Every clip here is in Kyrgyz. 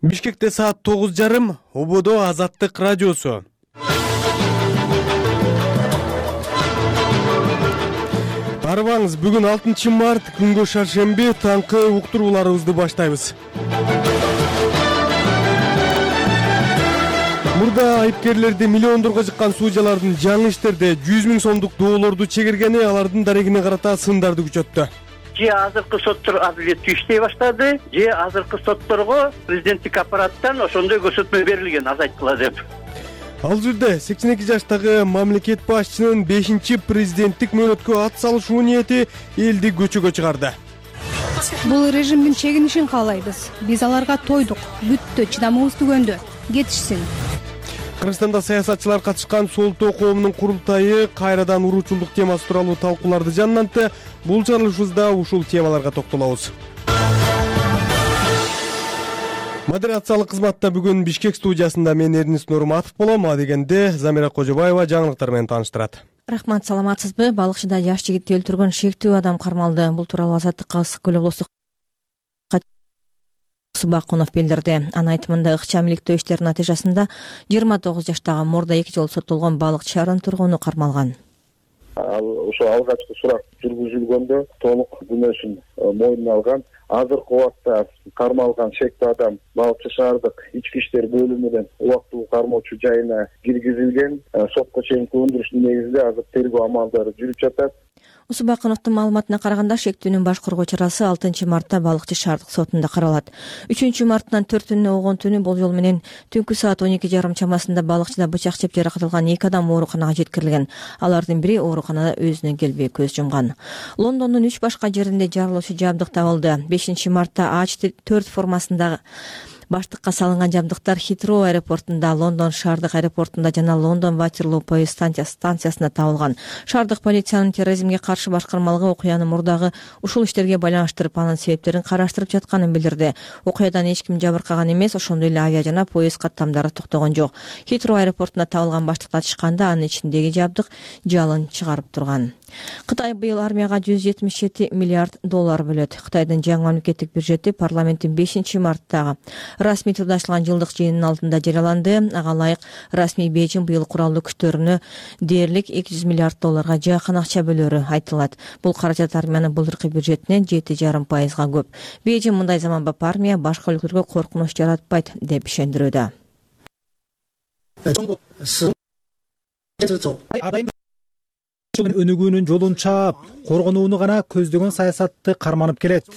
Бишкекте саат 9:30, Ободо Азаттык радиосу. Арыбаңыз, бүгүн 6 март, күнгө шаршемби, таңкы уктурууларыбызды баштайбыз. Мурда айыпкерлерди миллиондорго жыккан суужалардын жаңы иштерде 100 000 сомдук доолорду чегиргени алардын дарегине карата сындарды күчөттү. Же азыркы соттор адилеттүү иштей баштады, же азыркы сотторго президенттик аппараттан ошондой көрсөтмө берилген, азайткыла деп. Ал жерде 82 жаштагы мамлекет башчынын 5-президенттик мөөнөткө ат салышуу ниети элди көчөгө чыгарды. Бул режимдин чегинишин каалайбыз. Биз аларга тойдук, бүттү, чыдамыбыз түгөндү. Кетишсин. Кыргызстанда саясатчылар катышкан Солтоо коомунун курултайы кайрадан уруучулдук темасы тууралуу талкууларды жаннантты. Бул чыгарылышыбызда ушул темаларга токтолобуз. Модерациялык кызматта бүгүн Бишкек студиясында мен Эрнис Нурматов болом. А дегенде Замира Кожобаева жаңылыктар менен тааныштырат. Рахмат, саламатсызбы? Балыкчыда жаш жигитти өлтүргөн шектүү адам кармалды. Бул тууралуу Азаттыкка ысык көл облустук Субакунов билдирди. Анын айтымында ыкчам иликтөө иштеринин натыйжасында 29 жаштагы мурда 2 жолу соттолгон балыкчы шаарынын тургуну кармалган. Ошо алгачкы сурак жүргүзүлгөндө толук күнөөсүн мойнуна алган. Азыркы убакта кармалган шектүү адам Балыкчы шаардык ички иштер бөлүмүнүн убактылуу кармоочу жайына киргизилген. Сотко чейинки өндүрүштүн негизинде азыр тергөө амалдары жүрүп жатат. Усубакуновдун маалыматына караганда шектүүнүн баш коргоо чарасы 6 мартта Балыкчы шаардык сотунда каралат. 3 марттан 4 огон түнү болжол менен түнкү саат 12:30 чамасында Балыкчыда бычак жеп жаракатылган 2 адам ооруканага жеткирилген. Алардын бири ооруканада өзүнө келбей көз жумган. Лондондун 3 башка жеринде жарылуучу жабдык табылды. 5 мартта H4 формасындагы баштыкка салынган жабдыктар Хитроу аэропортунда, Лондон шаардык аэропортунда жана Лондон Ватерлоо поезд станциясында табылган. Шаардык полициянын терроризмге каршы башкармалыгы окуяны мурдагы ушул иштерге байланыштырып, анын себептерин караштырып жатканын билдирди. Окуядан эч ким жабыркаган эмес, ошондой эле авиа жана поезд каттамдары токтогон жок. Хитроу аэропортунда табылган баштыкты ачышканда анын ичиндеги жабдык жалын чыгарып турган. Кытай быйыл армияга $177 миллиард бөлөт. Кытайдын жаңы мамлекеттик бюджети парламенттин 5 марттагы расмий турдашталган жылдык жыйынынын алдында жарыяланды. Ага ылайык расмий Бейжин быйыл куралдуу күчтөрүнө дээрлик $200 миллиард жакын акча бөлөрү айтылат. Бул каражат армиянын былтыркы бюджетинен 7,5% көп. Бейжин мындай заманбап армия башка өлкөлөргө коркунуч жаратпайт деп ишендирүүдө. Өнүгүүнүн жолун чаап, коргонууну гана көздөгөн саясатты карманып келет.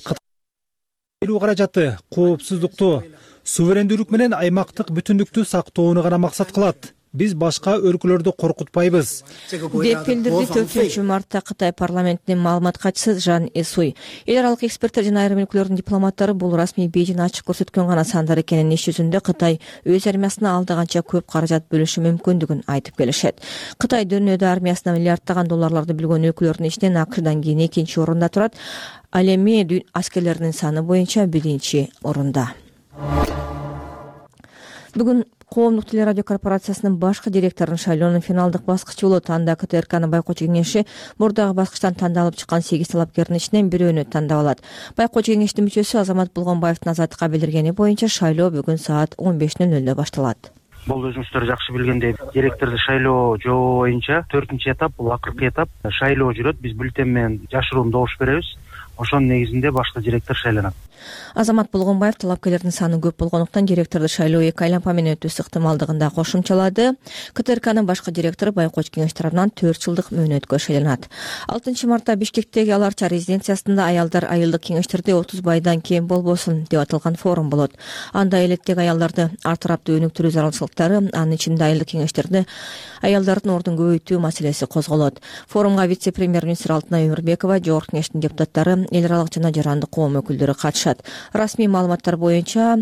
Кытай каражаты коопсуздукту, суверендүүлүк менен аймактык бүтүндүктү сактоону гана максат кылат. Биз башка өлкөлөрдү коркутпайбыз, деп билдирди 4 мартта Кытай парламентинин маалымат катчысы Жан Эсуй. Эл аралык эксперттер жана айрым өлкөлөрдүн дипломаттары бул расмий Бейжин ачык көрсөткөн гана сандар экенин, иш жүзүндө Кытай өз армиясына алда канча көп каражат бөлүшү мүмкүндүгүн айтып келишет. Кытай дүйнөдө армиясына миллиарддаган долларларды билген өлкөлөрдүн ичинен АКШдан кийин 2-орунда турат. Ал эми аскерлердин саны боюнча 1-орунда. Бүгүн Коомдук телерадио корпорациясынын башкы директорунун шайлоонун финалдык баскычы болот. Анда КТРКнын байкоочу кеңеши мурдагы баскычтан тандалып чыккан 8 талапкердин ичинен бирөөнү тандап алат. Байкоочу кеңештин мүчөсү Азамат Булгонбаевдин Азаттыкка билдиргени боюнча шайлоо бүгүн саат 15:00 башталат. Бул өзүңүздөр жакшы билгендей, директорду шайлоо жобо боюнча 4-этап, бул акыркы этап шайлоо жүрөт. Биз бюллетень менен жашыруун добуш беребиз. Ошонун негизинде башкы директор шайланат. Азамат Булгонбаев талапкерлердин саны көп болгондуктан директорду шайлоо 2 айланма менен өтүүсү ыктымалдыгын да кошумчалады. КТРКнын башкы директору байкоочу кеңеш тарабынан 4 жылдык мөөнөткө шайланат. 6 мартта Бишкектеги Аларча резиденциясында аялдар айылдык кеңештерде 30 байдан кем болбосун деп аталган форум болот. Анда элеттеги аялдарды ар тараптуу өнүктүрүү зарылчылыктары, анын ичинде айылдык кеңештерде аялдардын ордун көбөйтүү маселеси козголот. Форумга вице-премьер-министр Алтынай Өмүрбекова, жогорку кеңештин депутаттары, эл аралык жана жарандык коом өкүлдөрү катышат. Расмий маалыматтар боюнча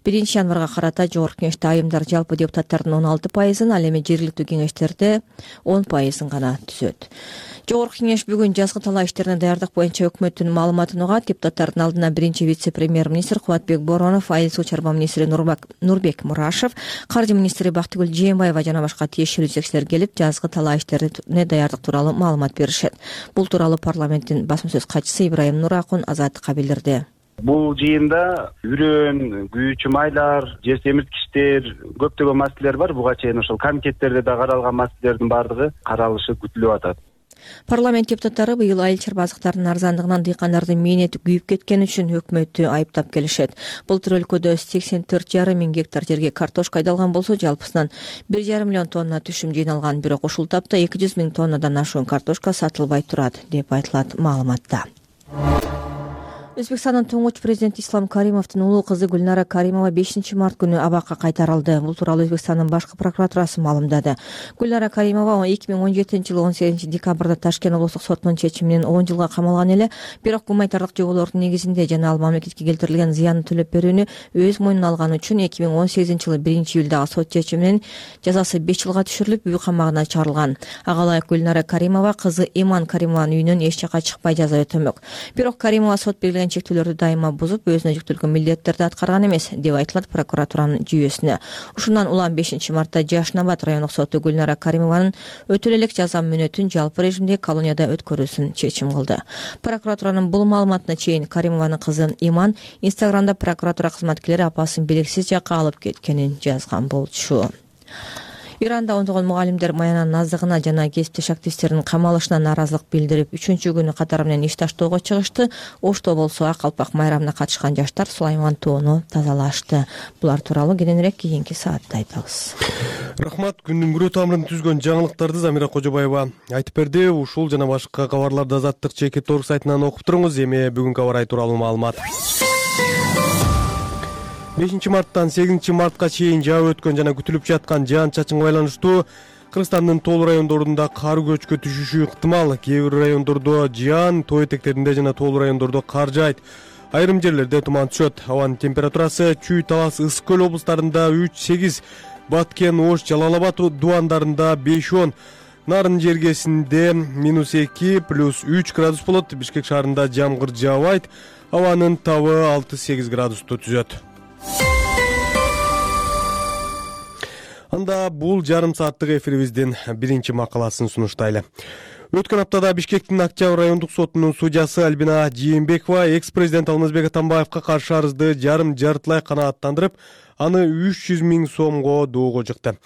1 январга карата жогорку кеңеште айымдар жалпы депутаттардын 16%, ал эми жергиликтүү кеңештерде 10% гана түзөт. Жогорку кеңеш бүгүн жазгы талаа иштерине даярдык боюнча өкмөттүн маалыматын угат. Депутаттардын алдына 1 вице-премьер-министр Кубатбек Боронов, айыл суу чарба министри Нурбек Мурашев, каржы министри Бактыгүл Жээнбаева жана башка тиешелүү жетекчилер келип, жазгы талаа иштерине даярдык тууралуу маалымат беришет. Бул тууралуу парламенттин басма сөз катчысы Ибрайым Нуракун Азаттыкка билдирди. Бул жыйында үрөн, күйүүчү майлар, жер семирткичтер, көптөгөн маселелер бар. Буга чейин ошол комитеттерде да каралган маселелердин баардыгы каралышы күтүлүп атат. Парламент депутаттары быйыл айыл чарбазыктардын арзандыгынан дыйкандардын мээнети күйүп кеткени үчүн өкмөттү айыптап келишет. Былтыр өлкөдө 84,5 миң гектар жерге картошка айдалган болсо, жалпысынан 1,5 миллион тонна түшүм жыйналган. Бирок ушул тапта 200 миң тоннадан ашуун картошка сатылбай турат, деп айтылат маалыматта. Өзбекстандын туңгуч президенти Ислам Каримовдун улуу кызы Гүлнара Каримова 5 март күнү абакка кайтарылды. Бул тууралуу Өзбекстандын башкы прокуратурасы маалымдады. Гүлнара Каримова 2017-жылы 18-декабрда Ташкент облустук сотунун чечими менен 10 жылга камалган эле, бирок гуманитардык жоболордун негизинде жана ал мамлекетке келтирилген зыянды төлөп берүүнү өз мойнуна алган үчүн 2018-жылы 1-июлдагы сот чечими менен жазасы 5 жылга түшүрүлүп, үй камагына чыгарылган. Ага ылайык Гүлнара Каримова кызы Иман Каримованын үйүнөн эч жака чыкпай жаза өтөмөк. Бирок Каримова сот белгилеген чектөөлөрдү дайыма бузуп, өзүнө жүктөлгөн милдеттерди аткарган эмес, деп айтылат прокуратуранын жүйөсүнө. Ушундан улам 5 мартта Жашнабад райондук соту Гүлнара Каримованын өтө элек жаза мөөнөтүн жалпы режимде колонияда өткөрүүсүн чечим кылды. Прокуратуранын бул маалыматына чейин Каримованын кызы Иман Инстаграмда прокуратура кызматкерлери апасын белгисиз жакка алып кеткенин жазган болчу. Иранда ондогон мугалимдер маянанын аздыгына жана кесиптеш активисттердин камалышына нааразылык билдирип, 3-күнү катары менен иш таштоого чыгышты. Ошто болсо Ак калпак майрамына катышкан жаштар Сулайман тоону тазалашты. Булар тууралуу кийинирээк кийинки саатта айтабыз. Рахмат. Күндүн күрөө тамырын түзгөн жаңылыктарды Замира Кожобаева айтып берди. Ушул жана башка кабарларды Азаттык чекит торг сайтынан окуп туруңуз. Эми бүгүнкү аба ырайы тууралуу маалымат. 5 марттан 8 мартка чейин жаап өткөн жана күтүлүп жаткан жаан-чачынга байланыштуу Кыргызстандын тоол райондорунда кар көчкө түшүшү ыктымал. Кээ бир райондордо жаан, тоо этектеринде жана тоол райондордо кар жаайт. Айрым жерлерде туман түшөт. Абанын температурасы Чүй, Талас, Ысык көл облустарында 3-8, Баткен, Ош, Жалал Абад дубандарында 5-10, Нарын жергесинде -2 +3 градус болот. Бишкек шаарында жамгыр жаабайт. Абанын табы 6-8 градусту түзөт. Анда бул жарым сааттык эфирибиздин биринчи макаласын сунуштайлы. Өткөн аптада Бишкектин Октябрь райондук сотунун судьясы Альбина Жээнбекова экс-президент Алмазбек Атамбаевка каршы арызды жартылай канааттандырып, аны 300 миң сомго доого жыкты.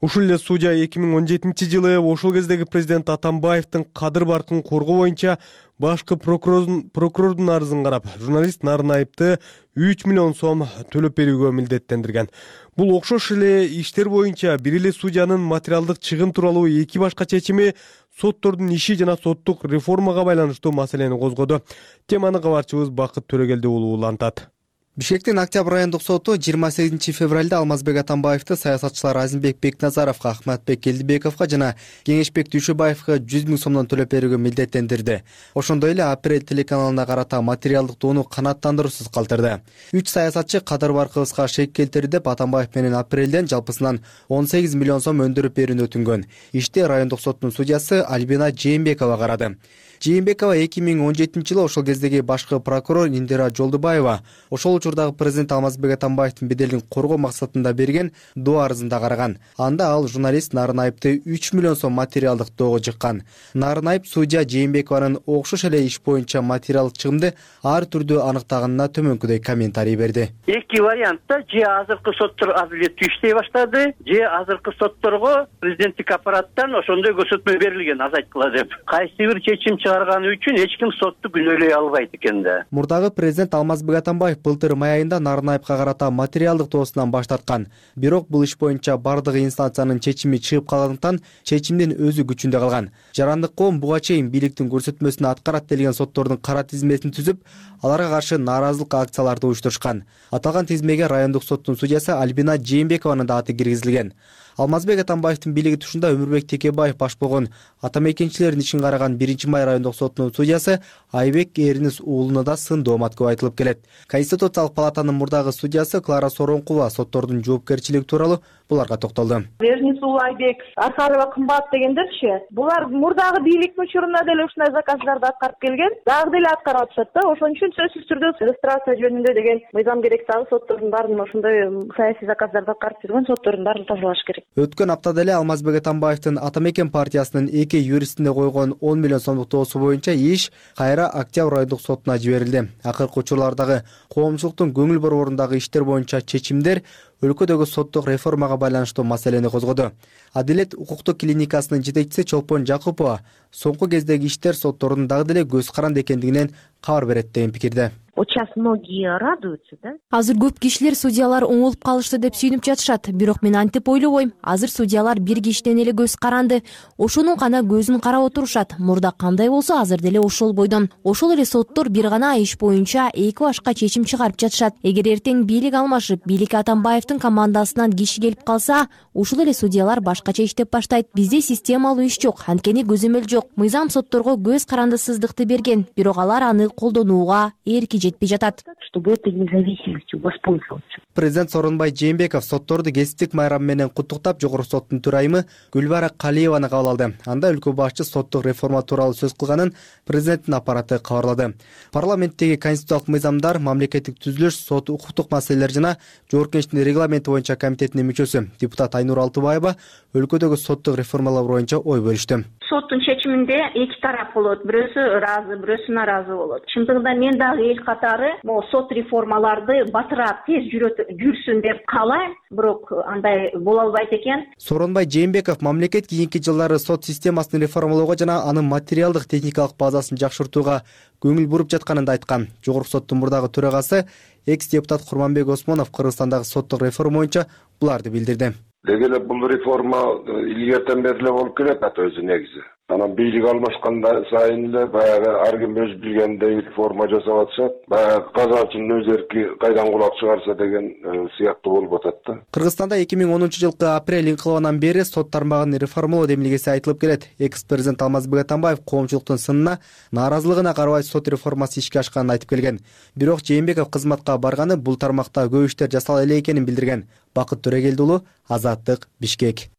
Ушул эле судья 2017-жылы ошол кездеги президент Атамбаевдин кадыр баркын коргоо боюнча башкы прокурордун арызын карап, журналист Нарын Айыпты 3 миллион сом төлөп берүүгө милдеттендирген. Бул окшош эле иштер боюнча бир эле судьянын материалдык чыгым тууралуу эки башка чечими соттордун иши жана соттук реформага байланыштуу маселени козгоду. Теманы кабарчыбыз Бакыт Төрөгелди уулу улантат. Бишкектин Октябрь райондук соту 28 февралда Алмазбек Атамбаевди саясатчылар Азимбек Бекназаровго, Ахматбек Келдибековго жана Кеңешбек Дүйшөбаевга 100 миң сомдон төлөп берүүгө милдеттендирди. Ошондой эле Апрель телеканалына карата материалдык доону канааттандыруусуз калтырды. 3 саясатчы кадыр баркыбызга шек келтирди деп Атамбаев менен апрелден жалпысынан 18 миллион сом өндүрүп берүүнү өтүнгөн. Иште райондук соттун судьясы Альбина Жээнбекова карады. Жээнбекова 2017-жылы ошол кездеги башкы прокурор Индира Жолдубаева ошол учурдагы президент Алмазбек Атамбаевдин беделин коргоо максатында берген доо арызында караган. Анда ал журналист Нарын Айыпты 3 миллион сом материалдык доого жыккан. Нарын Айып судья Жээнбекованын окшош эле иш боюнча материалдык чыгымды ар түрдүү аныктаганына төмөнкүдөй комментарий берди. Эки вариантта же азыркы соттор адилеттүү иштей баштады, же азыркы сотторго президенттик аппараттан ошондой көрсөтмө берилген азайткыла деп. Кайсы бир чечим чыгарганы үчүн эч ким сотту күнөөлөй албайт экен да. Мурдагы президент Алмазбек Атамбаев былтыр май айында Нарын Айыпка карата материалдык доосунан баш тарткан. Бирок бул иш боюнча бардык инстанциянын чечими чыгып калгандыктан чечимдин өзү күчүндө калган. Жарандык коом буга чейин бийликтин көрсөтмөсүн аткарат делген соттордун кара тизмесин түзүп, аларга каршы нааразылык акцияларды уюштурушкан. Аталган тизмеге райондук соттун судьясы Альбина Жээнбекованын да аты киргизилген. Алмазбек Атамбаевдин бийлиги тушунда Өмүрбек Текебаев баш болгон атамекенчилердин ишин караган 1-май райондук сотунун судьясы Айбек Эринис уулуна да сын доомат көп айтылып келет. Конституциялык палатанын мурдагы судьясы Клара Соронкулова соттордун жоопкерчилиги тууралуу буларга токтолду. Эринис уулу Айбек, Архарова кымбат дегендерчи, булар мурдагы бийликтин учурунда деле ушундай заказдарды аткарып келген, дагы деле аткарып атышат да. Ошон үчүн сөзсүз түрдө иллюстрация жөнүндө деген мыйзам керек дагы соттордун баарын ошондой саясий заказдарды аткарып жүргөн соттордун баарын тазалаш керек. Өткөн аптада эле Алмазбек Атамбаевдин Атамекен партиясынын эки юристине койгон 10 миллион сомдук суроосу боюнча иш кайра Октябрь райондук сотуна жиберилди. Акыркы учурлардагы коомчулуктун көңүл борборундагы иштер боюнча чечимдер өлкөдөгү соттук реформага байланыштуу маселени козгоду. Адилет укуктук клиникасынын жетекчиси Чолпон Жакупова соңку кездеги иштер соттордун дагы деле көз каранды экендигинен кабар берет деген пикирде. Вот сейчас многие радуются, да? Азыр көп кишилер судьялар оңолуп калышты деп сүйүнүп жатышат. Бирок мен антип ойлобойм. Азыр судьялар бир кишиден эле көз каранды. Ошонун гана көзүн карап отурушат. Мурда кандай болсо азыр деле ошол бойдон. Ошол эле соттор бир гана иш боюнча эки башка чечим чыгарып жатышат. Эгер эртең бийлик алмашып, бийликке Атамбаевдин командасынан киши келип калса, ушул эле судьялар башкача иштеп баштайт. Бизде системалуу иш жок, анткени көзөмөл жок. Мыйзам сотторго көз карандысыздыкты берген, бирок алар аны колдонууга эрки жетпей жатат. Чтобы этой независимостью воспользоваться. Президент Сооронбай Жээнбеков сотторду кесиптик майрам менен куттуктап жогорку соттун төрайымы Гүлбара Калиеваны кабыл алды. Анда өлкө башчы соттук реформа тууралуу сөз кылганын президенттин аппараты кабарлады. Парламенттеги конституциялык мыйзамдар, мамлекеттик түзүлүш, сот укуктук маселелер жана жогорку кеңештин регламенти боюнча комитетинин мүчөсү депутат Айнур Алтыбаева өлкөдөгү соттук реформалар боюнча ой бөлүштү. Соттун чечиминде эки тарап болот. Бирөөсү ыраазы, бирөөсү нааразы болот. Чындыгында мен дагы эл катары могу сот реформаларды батыраак тез жүрсүн деп каалайм, бирок андай боло албайт экен. Сооронбай Жээнбеков мамлекет кийинки жылдары сот системасын реформалоого жана анын материалдык техникалык базасын жакшыртууга көңүл буруп жатканын да айткан. Жогорку соттун мурдагы төрагасы экс-депутат Курманбек Осмонов Кыргызстандагы соттук реформа боюнча буларды билдирди. Деги эле бул реформа илгертен бери эле болуп келет өзү негизи. Анан бийлик алмашканда сайын эле баягы ар ким өз билгендей реформа жасап атышат. Баягы казачынын өз эрки кайдан кулак чыгарса деген сыяктуу болуп атат да. Кыргызстанда 2010-жылкы апрель инкылабынан бери сот тармагын реформалоо демилгеси айтылып келет. Экс-президент Алмазбек Атамбаев коомчулуктун сынына, нааразылыгына карабай сот реформасы ишке ашканын айтып келген. Бирок Жээнбеков кызматка барганы бул тармакта көп иштер жасала эле экенин билдирген. Бакыт Төрегелди уулу, Азаттык, Бишкек.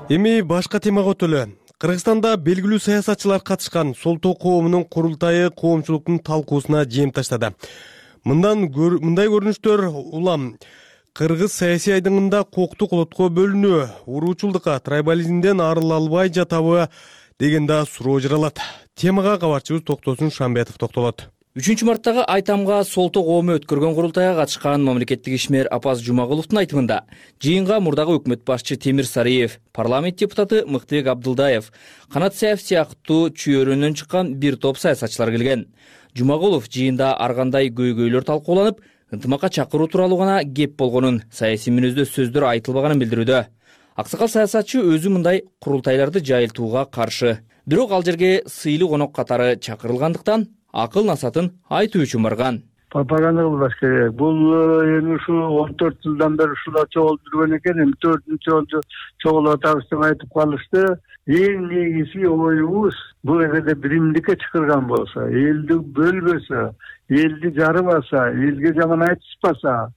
Эми башка темага өтөлү. Кыргызстанда белгилүү саясатчылар катышкан Солтоо коомунун курултайы коомчулуктун талкуусуна жем таштады. Мындай көрүнүштөр улам кыргыз саясий айдыңында коктук олотко бөлүнүү, уруучулдукка, трайбализмден арыла албай жатабы деген да суроо жаралат. Темага кабарчыбыз Токтосун Шамбетов токтолот. 3-марттагы Айтамга Солтоо коому өткөргөн курултайга катышкан мамлекеттик ишмер Апаз Жумагуловдун айтымында жыйынга мурдагы өкмөт башчы Темир Сариев, парламент депутаты Мыктыбек Абдылдаев, Канат Саев сыяктуу чүйөрүнөн чыккан бир топ саясатчылар келген. Жумагулов жыйында ар кандай көйгөйлөр талкууланып, ынтымакка чакыруу тууралуу гана кеп болгонун, саясий мүнөздө сөздөр айтылбаганын билдирүүдө. Аксакал саясатчы өзү мындай курултайларды жайылтууга каршы. Бирок ал жерге сыйлуу конок катары чакырылгандыктан акыл насатын айтуу үчүн барган. Пропаганда кылбаш керек. Бул эми ушу 14 жылдан бери ушула чогулуп жүргөн экен. Эми 4-нчү жолу чогулуп атабыз деп айтып калышты. Эң негизи оюбуз бул эгерде биримдикке чакырган болсо, элди бөлбөсө, элди жарыбаса, элге жаман айтышпаса,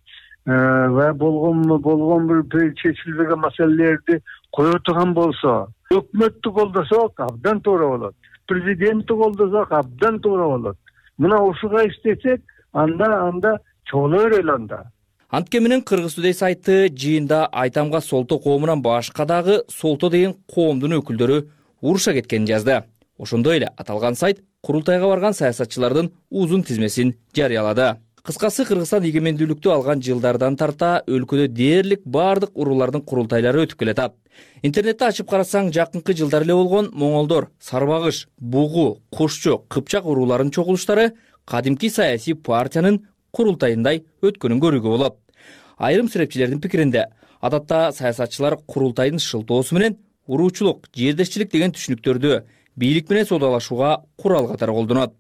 ва болгон бир чечилбеген маселелерди кое турган болсо, өкмөттү колдосок абдан туура болот. Президентти колдосок абдан туура болот. Мына ушуга иштесек, анда чогуло берели анда. Антке менен Кыргыз Today сайты жыйында Айтамга Солтоо коомунан башка дагы Солтоо деген коомдун өкүлдөрү уруша кеткенин жазды. Ошондой эле аталган сайт курултайга барган саясатчылардын узун тизмесин жарыялады. Кыскасы Кыргызстан эгемендүүлүктү алган жылдардан тарта өлкөдө дээрлик бардык уруулардын курултайлары өтүп келатат. Интернетти ачып карасаң, жакынкы жылдар эле болгон Моңолдор, Сарбагыш, Бугу, Кушчу, Кыпчак урууларынын чогулуштары кадимки саясий партиянын курултайындай өткөнүн көрүүгө болот. Айрым серепчилердин пикиринде, адатта саясатчылар курултайдын шылтоосу менен уруучулук, жердешчилик деген түшүнүктөрдү бийлик менен соодалашууга курал катары колдонот.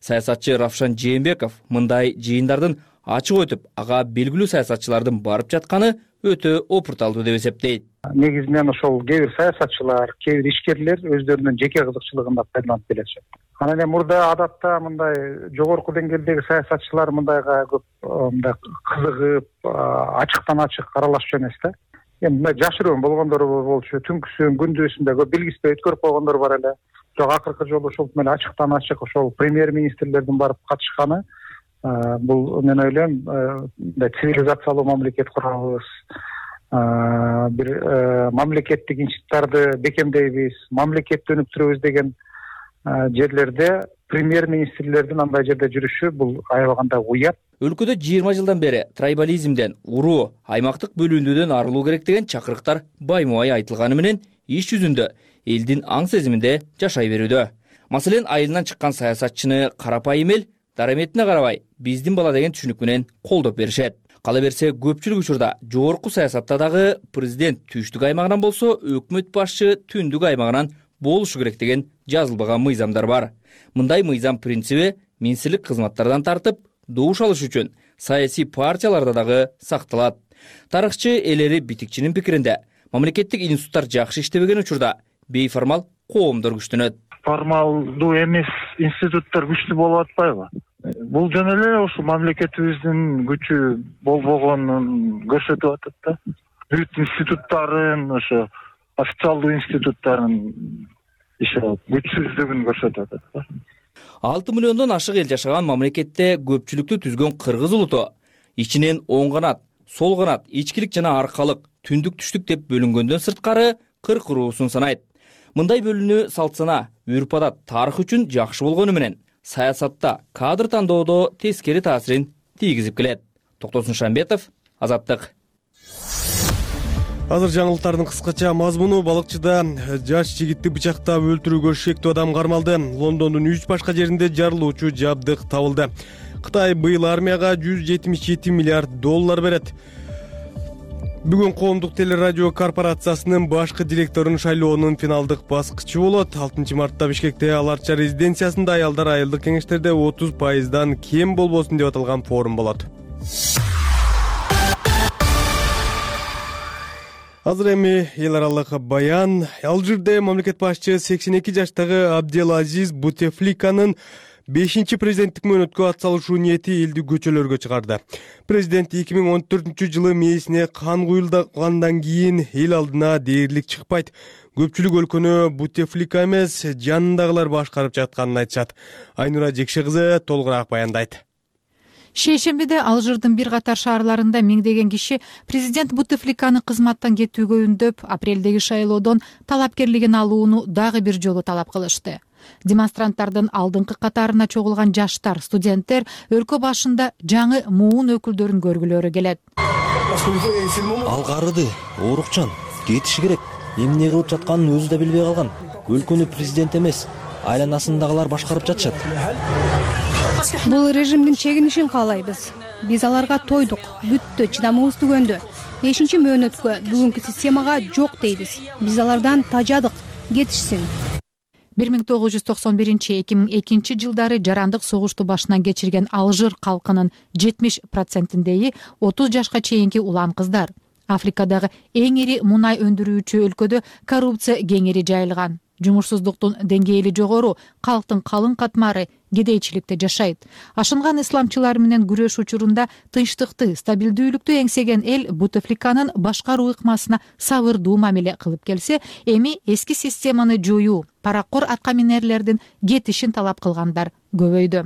Саясатчы Равшан Жээнбеков мындай жыйындардын ачык өтүп, ага белгилүү саясатчылардын барып жатканы өтө опурталдуу деп эсептейт. Негизинен ошол кээ бир саясатчылар, кээ бир ишкерлер өздөрүнүн жеке кызыкчылыгында пайдаланып келишет. Анан эми мурда адатта мындай жогорку деңгээлдеги саясатчылар мындайга көп мындай кызыгып, ачыктан ачык аралашчу эмес да. Эми мындай жашыруун болгондор болчу, түнкүсүн, күндүзүндө көп белгиспей өткөрүп койгондор бар эле. Бирок акыркы жолу ошол менен ачыктан ачык ошол премьер-министрлердин барып катышканы Бул мен ойлойм цивилизациялуу мамлекет курабыз, бир мамлекеттик институттарды бекемдейбиз, мамлекетти өнүктүрөбүз деген жерлерде премьер-министрлердин андай жерде жүрүшү бул аябаганда уят. Өлкөдө 20 жылдан бери трайбализмден, уруу, аймактык бөлүндүүдөн арылуу керек деген чакырыктар баймубай айтылганы менен иш жүзүндө элдин аң сезиминде жашай берүүдө. Маселен, айылынан чыккан саясатчыны карапайым эл дараметине карабай биздин бала деген түшүнүк менен колдоп беришет. Кала берсе, көпчүлүк учурда жогорку саясатта дагы президент түштүк аймагынан болсо, өкмөт башчы түндүк аймагынан болушу керек деген жазылбаган мыйзамдар бар. Мындай мыйзам принциби министрлик кызматтардан тартып, добуш алыш үчүн саясий партияларда дагы сакталат. Тарыхчы Элери Битикчинин пикиринде, мамлекеттик институттар жакшы иштебеген учурда бейформал коомдор күчтөнөт. Формалдуу эмес институттар күчтүү болуп атпайбы? Бул жөн эле ошо мамлекетибиздин күчү болбогонун көрсөтүп атат да. Бүт институттарын, ошо официалдуу институттарын күчсүздүгүн көрсөтүп атат да. 6 миллиондон ашык эл жашаган мамлекетте көпчүлүктү түзгөн кыргыз улуту ичинен оң канат, сол канат, ичкилик жана аркалык, түндүк түштүк деп бөлүнгөндөн сырткары кыркыруусун санайт. Мындай бөлүнүү салт-сана, үрп-адат, тарых үчүн жакшы болгону менен саясатта, кадр тандоодо тескери таасирин тийгизип келет. Токтосун Шамбетов, Азаттык. Азыр жаңылыктардын кыскача мазмуну: балыкчыда жаш жигитти бычактап өлтүрүүгө шектүү адам кармалды. Лондондун 3 башка жеринде жарылуучу жабдык табылды. Кытай быйыл армияга $177 миллиард берет. Бүгүн коомдук телерадио корпорациясынын башкы директорун шайлоонун финалдык баскычы болот. 6 мартта Бишкекте Аларча резиденциясында аялдар айылдык кеңештерде 30% кем болбосун деп аталган форум болот. Азыр эми эл аралык баян. Алжирде мамлекет башчы 82 жаштагы Абделазиз Бутефликанын 5-чи президенттик мөөнөткө атсалышуу ниети элди көчөлөргө чыгарды. Президент 2014-жылы мээсине кан куюлгандан кийин эл алдына дээрлик чыкпайт. Көпчүлүк өлкөнү Бутефлика эмес, жанындагылар башкарып жатканын айтышат. Айнура Жекше кызы толугураак баяндайт. Шейшембиде Алжирдин бир катар шаарларында миңдеген киши президент Бутефликаны кызматтан кетүүгө үндөп, апрелдеги шайлоодон талапкерлигин алууну дагы бир жолу талап кылышты. Демонстранттардын алдыңкы катарына чогулган жаштар, студенттер өлкө башында жаңы муун өкүлдөрүн көргүлөрү келет. Ал карыды, оорукчан, кетиши керек. Эмне кылып жатканын өзү да билбей калган. Өлкөнү президент эмес, айланасындагылар башкарып жатышат. Бул режимдин чегинишин каалайбыз. Биз аларга тойдук, бүттү, чыдамыбыз түгөндү. 5-чи мөөнөткө, бүгүнкү системага жок дейбиз. Биз алардан тажадык, кетишсин. 1991-2002 жылдары жарандык согушту башынан кечирген Алжир калкынын 70%-индеги 30 жашка чейинки улан кыздар. Африкадагы эң ири мунай өндүрүүчү өлкөдө коррупция кеңири жайылган. Жумушсуздуктун деңгээли жогору, калктын калың катмары кедейчиликте жашайт. Ашынган исламчылар менен күрөш учурунда тынчтыкты, стабилдүүлүктү эңсеген эл Бутефликанын башкаруу ыкмасына сабырдуу мамиле кылып келсе, эми эски системаны жоюу, паракор аткаминерлердин кетишин талап кылгандар көбөйдү.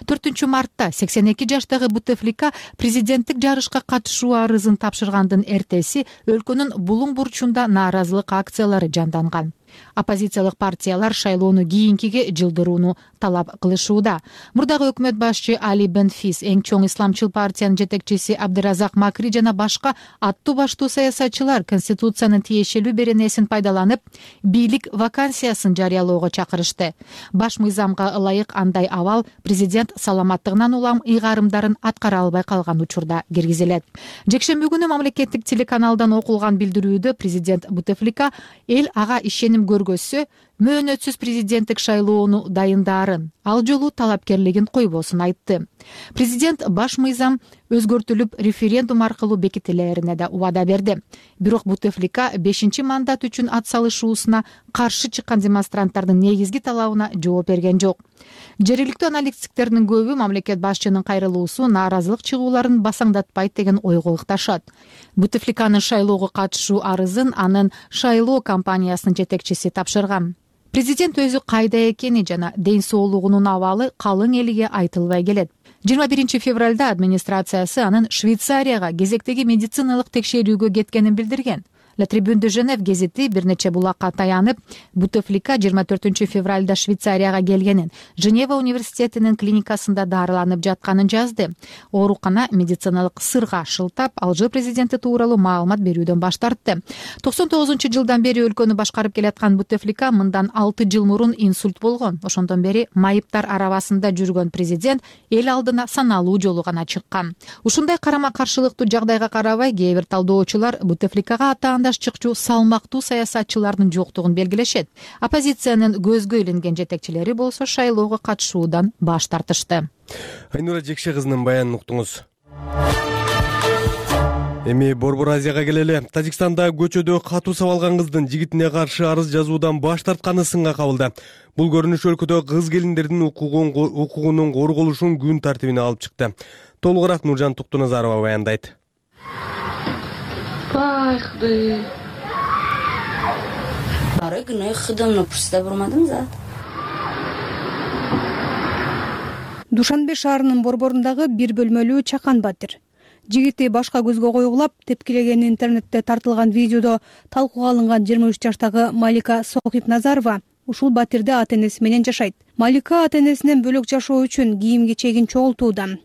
4-мартта 82 жаштагы Бутефлика президенттик жарышка катышуу арызын тапшыргандын эртеси өлкөнүн булуң бурчунда нааразылык акциялары жанданган. Оппозициялык партиялар шайлоону кийинкиге жылдырууну талап кылышууда. Мурдагы өкмөт башчы Али Бенфис, эң чоң исламчыл партиянын жетекчиси Абдыразак Макри жана башка аттуу баштуу саясатчылар Конституциянын тиешелүү беренесин пайдаланып, бийлик вакансиясын жарыялоого чакырышты. Баш мыйзамга ылайык андай абал президент саламаттыгынан улам ыйгарымдарын аткара албай калган учурда киргизилет. Жекшемби күнү мамлекеттик телеканалдан окулган билдирүүдө президент Бутефлика эл ага ишеним көргөзсө, мөөнөтсүз президенттик шайлоону дайындаарын, ал жолу талапкерлигин койбосун айтты. Президент баш мыйзам өзгөртүлүп референдум аркылуу бекитилерине да убада берди. Бирок Бутефлика 5-чи мандат үчүн атсалышуусуна каршы чыккан демонстранттардын негизги талабына жооп берген жок. Жергиликтүү аналитиктердин көбү мамлекет башчынын кайрылуусу нааразылык чыгууларын басаңдатпайт деген ойго ыкташат. Бутефликанын шайлоого катышуу арызын анын шайлоо компаниясынын жетекчиси тапшырган. Президент өзү кайда экени жана ден соолугунун абалы калың элге айтылбай келет. 21 февралда администрациясы анын Швейцарияга кезектеги медициналык текшерүүгө кеткенин билдирген. La Tribune de Genève гезити бир нече булакка таянып, Бутефлика 24 февралда Швейцарияга келгенин, Женева университетинин клиникасында дарыланып жатканын жазды. Оорукана медициналык сырга шылтап, Алжир президенти тууралуу маалымат берүүдөн баш тартты. 99-жылдан бери өлкөнү башкарып келаткан Бутефлика мындан 6 жыл мурун инсульт болгон. Ошондон бери майыптар арабасында жүргөн президент эл алдына саналуу жолу гана чыккан. Ушундай карама-каршылыктуу жагдайга карабай, кээ бир талдоочулар Бутефликага атаандаш чыкчу салмактуу саясатчылардын жоктугун белгилешет. Оппозициянын көзгө илинген жетекчилери болсо шайлоого катышуудан баш тартышты. Айнура Жекше кызынын баянын уктуңуз. Эми Борбор Азияга келели. Тажикстанда көчөдө катуу сабалган кыздын жигитине каршы арыз жазуудан баш тартканы сынга кабылды. Бул көрүнүш өлкөдө кыз келиндердин укугунун корголушун күн тартибине алып чыкты. Толугураак Нуржан Туктуназарова баяндайт. Душанбе шаарынын борборундагы бир бөлмөлүү чакан батир. Жигити башка көзгө коюлап, тепкилеген интернетте тартылган видеодо талкууга алынган 23 жаштагы Малика Сохипназарова ушул батирде ата-энеси менен жашайт. Малика ата-энесинен бөлөк жашоо үчүн кийим-кечегин чогултууда.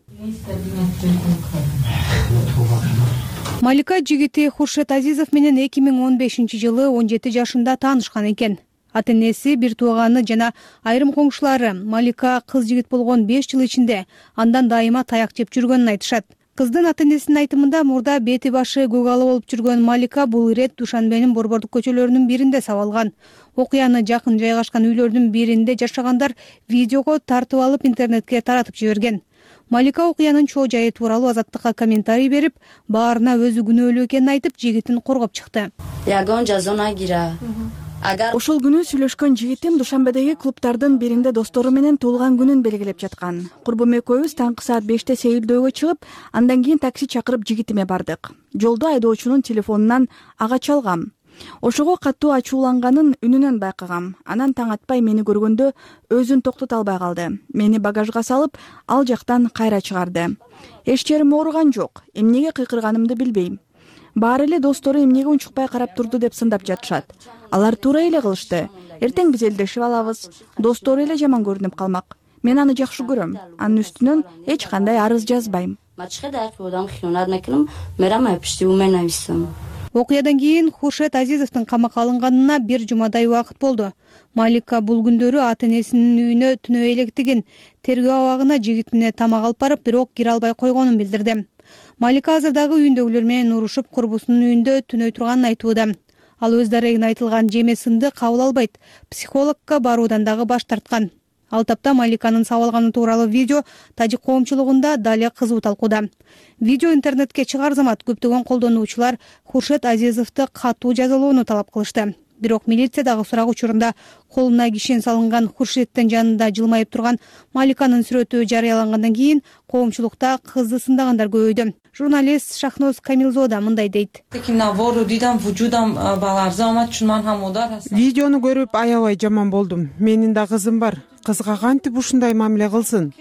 Малика жигити Хуршет Азизов менен 2015-жылы 17 жашында таанышкан экен. Ата-энеси, бир тууганы жана айрым коңшулары Малика кыз жигит болгон 5 жыл ичинде андан дайыма таяк жеп жүргөнүн айтышат. Кыздын ата-энесинин айтымында мурда бети башы көк ала болуп жүргөн Малика бул ирет Душанбенин борбордук көчөлөрүнүн биринде сабалган. Окуяны жакын жайгашкан үйлөрдүн биринде жашагандар видеого тартып алып интернетке таратып жиберген. Малика окуянын чоо жайы тууралуу Азаттыкка комментарий берип, баарына өзү күнөөлүү экенин айтып, жигитин коргоп чыкты. Ошол күнү сүйлөшкөн жигитим Душанбедеги клубтардын биринде достору менен туулган күнүн белгилеп жаткан. Курбум экөөбүз таңкы саат 5-те сейилдөөгө чыгып, андан кийин такси чакырып жигитиме бардык. Жолдо айдоочунун телефонунан ага чалгам. Ошого катуу ачууланганын үнүнөн байкагам. Анан таң атпай мени көргөндө өзүн токтото албай калды. Мени багажга салып, ал жактан кайра чыгарды. Эч жерим ооруган жок. Эмнеге кыйкырганымды билбейм. Баары эле достору эмнеге унчукпай карап турду деп сындап жатышат. Алар туура эле кылышты. Эртең биз элдешип алабыз. Достору эле жаман көрүнүп калмак. Мен аны жакшы көрөм. Анын үстүнөн эч кандай арыз жазбайм. Окуядан кийин Хуршет Азизовдун камакка алынганына бир жумадай убакыт болду. Малика бул күндөрү ата-энесинин үйүнө түнөө электигин, тергөө абагына жигитине тамак алып барып, бирок кире албай койгонун билдирди. Малика азыр дагы үйүндөгүлөр менен урушуп, курбусунун үйүндө түнөй турганын айтууда. Ал өз дарегине айтылган жеме сынды кабыл албайт. Психологко баруудан дагы баш тарткан. Ал тапта Маликанын сабалганы тууралуу видео тажик коомчулугунда дале кызуу талкууда. Видео интернетке чыгаар замат көптөгөн колдонуучулар Хуршет Азизовду катуу жазалоону талап кылышты. Бирок милиция дагы сурак учурунда колуна кишен салынган Хуршеттин жанында жылмайып турган Маликанын сүрөтү жарыялангандан кийин коомчулукта кызды сындагандар көбөйдү. Журналист Шахноз Камилзода мындай дейт. Видеону көрүп аябай жаман болдум. Менин да кызым бар. Кызга кантип ушундай мамиле кылсын?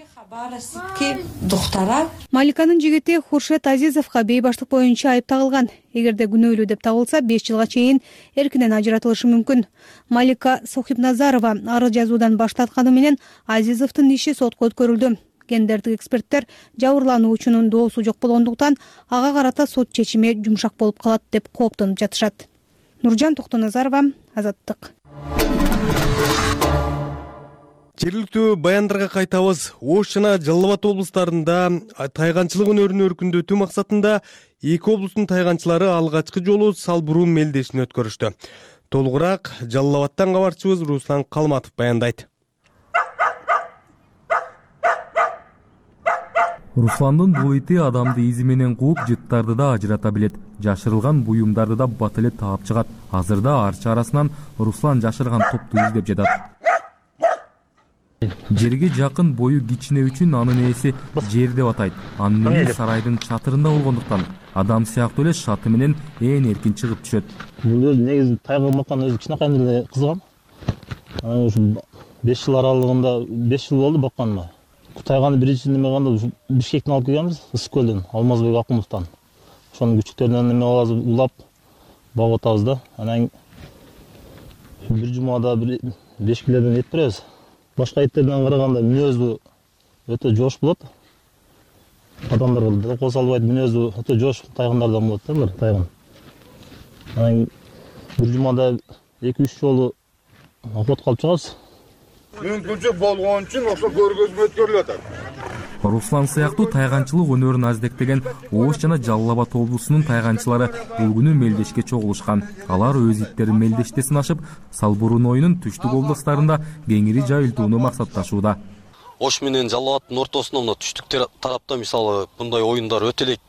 Маликанын жигити Хуршет Азизовго бейбаштык боюнча айып тагылган. Эгерде күнөөлүү деп табылса, 5 жылга чейин эркинен ажыратылышы мүмкүн. Малика Сохипназарова арыз жазуудан баш тартканы менен Азизовдун иши сотко өткөрүлдү. Гендердик эксперттер жабырлануучунун доосу жок болгондуктан ага карата сот чечими жумшак болуп калат деп кооптонуп жатышат. Нуржан Туктуназарова, Азаттык. Жергиликтүү баяндарга кайтабыз. Ош жана Жалал Абад облустарында тайганчылык өнөрүн өркүндөтүү максатында эки облустун тайганчылары алгачкы жолу салбурун мелдешин өткөрүштү. Толугураак Жалал Абадтан кабарчыбыз Руслан Калматов баяндайт. Русландын бул ити адамды изи менен кууп, жыттарды да ажырата билет. Жашырылган буюмдарды да бат эле таап чыгат. Азырда арча арасынан Руслан жашырган топту издеп жатат. Жерге жакын бою кичине үчүн анын ээси жер деп атайт. Анын үйү сарайдын чатырында болгондуктан адам сыяктуу эле шаты менен ээн эркин чыгып түшөт. Бул негизи тайга баккан өзү кичинекейинде эле кызгам. Анан ушу 5 жыл аралыгында 5 жыл болду бакканыма. тайганы биринчи неме кылганда Бишкектен алып келгенбиз, Ысык көлдөн, Алмазбек Акумовдон. Ошонун күчүктөрүнөн неме кылабыз, улап багып атабыз да. Анан бир жумада 5 килодон эт беребиз. Башка эттерден караганда мүнөзү өтө жош болот. Адамдарга да кол салбайт, мүнөзү өтө жош тайгандардан болот да булар тайган. Анан бир жумада 2-3 жолу охот калып чыгабыз. Мүмкүнчүлүк болгон үчүн ошо көргөзмө өткөрүлүп атат. Руслан сыяктуу тайганчылык өнөрүн аздектеген Ош жана Жалал Абад облусунун тайганчылары бул күнү мелдешке чогулушкан. Алар өз иттерин мелдеште сынашып, Салбурун ойунун түштүк областарында кеңири жайылтууну максатташууда. Ош менен Жалал Абаддын ортосунда мына түштүк тарапта мисалы мындай оюндар өтө элек.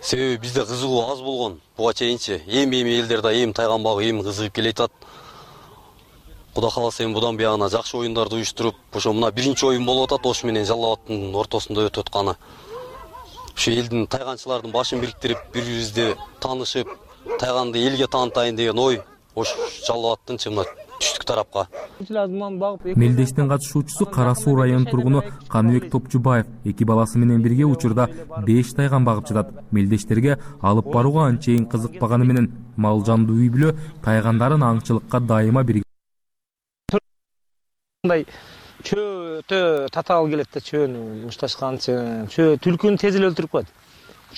Себеби бизде кызыгуу аз болгон. Буга чейинчи эми элдерде эми тайган багуу эми кызыгып келатат. Кудай кааласа эми будан буягына жакшы оюндарды уюштуруп, ошо мына биринчи оюн болуп атат Ош менен Жалал Абаддын ортосунда өтүп атканы. Ошо элдин тайганчылардын башын бириктирип, бири-бирибизди таанышып, тайганды элге таанытайын деген ой Ош Жалал Абаддын мына түштүк тарапка. Мелдештин катышуучусу Кара Суу районунун тургуну Каныбек Топчубаев 2 баласы менен бирге учурда 5 тайган багып жатат. Мелдештерге алып барууга анчейин кызыкпаганы менен мал жанды үй бүлө тайгандарын аңчылыкка дайыма бирге. Мындай чөө өтө татаал келет да, чөөнү мушташканчы, чөө түлкүнү тез эле өлтүрүп коет.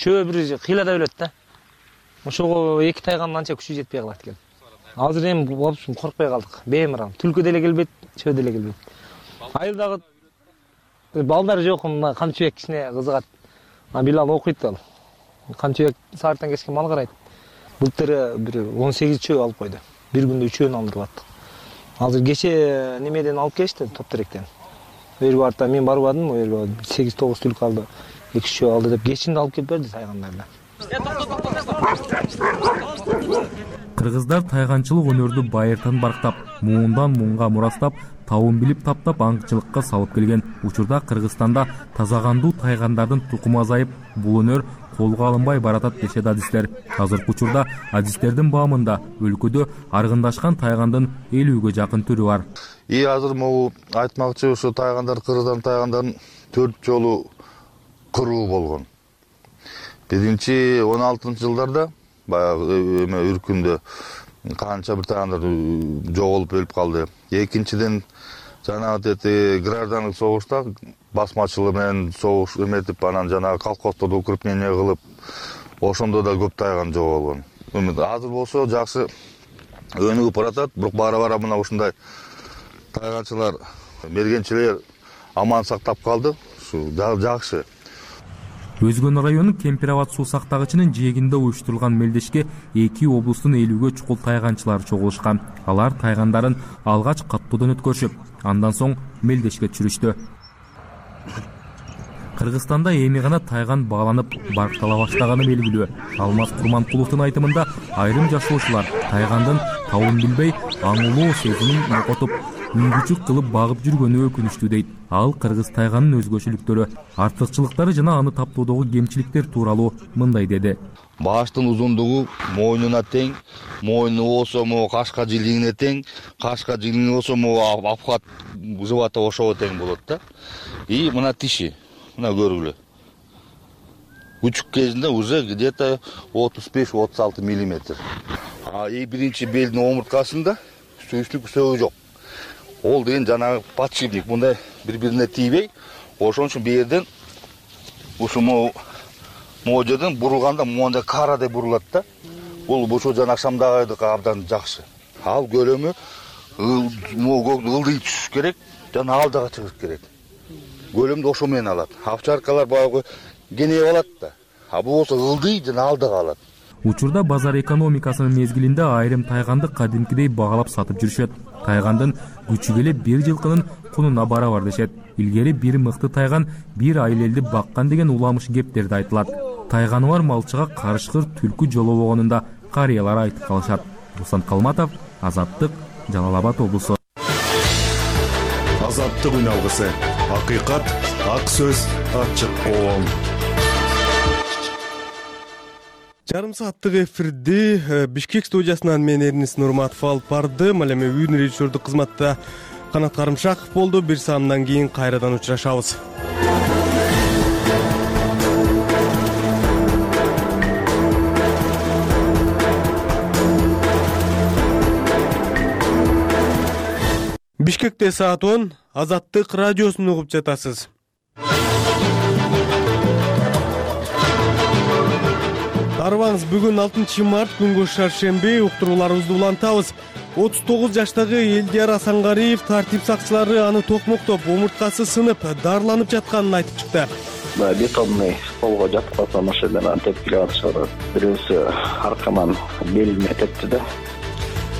Чөө бир кыйлада өлөт да. Ошого 2 тайганын анча күчү жетпей калат экен. Азыр эми болупсун коркпой калдык. Беймарал. Түлкү деле келбейт, чөө деле келбейт. Айылдагы балдар жок, мына камчыбек кичине кызыгат. Билал окуйт ал. Камчыбек сааттан кечке мал карайт. Былтыр бир 18 чөө алып койду. Бир күндө 3-өн алдырып аттык. Азыр кече немеден алып келишти, Топ-теректен. Өргө барта мен барбадым, өргө 8-9 түлкү алды, 2 чөө алды деп кечинде алып келип берди тайгандарды. Кыргыздар тайганчылык өнөрдү байыртан барктап, муундан муунга мурастап, табын билип таптап аңчылыкка салып келген. Учурда Кыргызстанда тазагандуу тайгандардын тукуму азайып, бул өнөр колго алынбай баратат дешет адистер. Азыркы учурда адистердин баамында өлкөдө аргындашкан тайгандын 50-ге жакын түрү бар. Азыр могу айтмакчы, ушу тайгандар, Кыргыздардын тайгандарын 4 жолу кыруу болгон. Биринчи 16-жылдарда баягы үркүндө канча бир тайгандар жоголуп өлүп калды. Экинчиден жанагы граждандык согушта басмачылык менен согуш эметип, анан жанагы колхоздорду укрепление кылып, ошондо да көп тайган жоголгон. Азыр болсо жакшы өнүгүп баратат, бирок бара-бара мына ушундай тайганчылар, мергенчилер аман сактап калды. Ушу жакшы. Өзгөн районунун Кемпирабад суу сактагычынын жээгинде уюштурулган мелдешке 2 облустун 50-ге чукул тайганчылары чогулушкан. Алар тайгандарын алгач каттоодон өткөрүшүп, андан соң мелдешке түшүрүштү. Кыргызстанда эми гана тайган бааланып барктала баштаганы белгилүү. Алмаз Курманкуловдун айтымында айрым жашоочулар тайгандын табын билбей аңылуу сезимин жокотуп, үңгүчүк кылып багып жүргөнү өкүнүчтүү дейт. Ал кыргыз тайганын өзгөчөлүктөрү, артыкчылыктары жана аны таптоодогу кемчиликтер тууралуу мындай деди. Баштын узундугу мойнуна тең, мойну болсо могу кашка жилиңине тең, кашка жилиңи болсо могу обхват живота ошого тең болот да. И мына тиши, мына көргүлө. Күчүк кезинде уже где-то 35-36 миллиметр. Биринчи белдин омурткасында сүйүштүк сөөгү жок. Ол деген жанагы подшипник, мындай бири-бирине тийбей, ошон үчүн бу жерден ушу могу жерден бурулганда мондай карадай бурулат да. Бул ошо жана акшамдагыдыкка абдан жакшы. Ал көлөмү ылдый түшүш керек, жана алдыга чыгыш керек. Көлөмдү ошо менен алат. Овчаркалар баягы кенеп алат да. Бул болсо ылдый жана алдыга алат. Учурда базар экономикасынын мезгилинде айрым тайганды кадимкидей багалап сатып жүрүшөт. Тайгандын күчү келе бир жылкынын кунуна барабар дешет. Илгери бир мыкты тайган бир айыл элди баккан деген уламыш кептерди айтылат. Тайганы бар малчыга карышкыр түлкү жолобогонун карыялар айтып калышат. Руслан Калматов, Азаттык, Жалал Абад облусу. Азаттык үн алгысы. Акыйкат, ак сөз, ачык коом. Жарым сааттык эфирди Бишкек студиясынан мен Эрнис Нурматов алып бардым. Ал эми үйдүн режиссердук кызматта Канат Карымшаков болду. Бир саамдан кийин кайрадан учурашабыз. Бишкекте саат 10, Азаттык радиосун угуп жатасыз. Арыбаңыз, бүгүн 6 март күнгө шаршемби, уктурууларыбызды улантабыз. 39 жаштагы Элдияр Асангариев тартип сакчылары аны токмоктоп, омурткасы сынып, дарыланып жатканын айтып чыкты. Бетонный полго жаткызса машинадан тепкилеп атышат. Бирөөсү аркаман белине тепти да.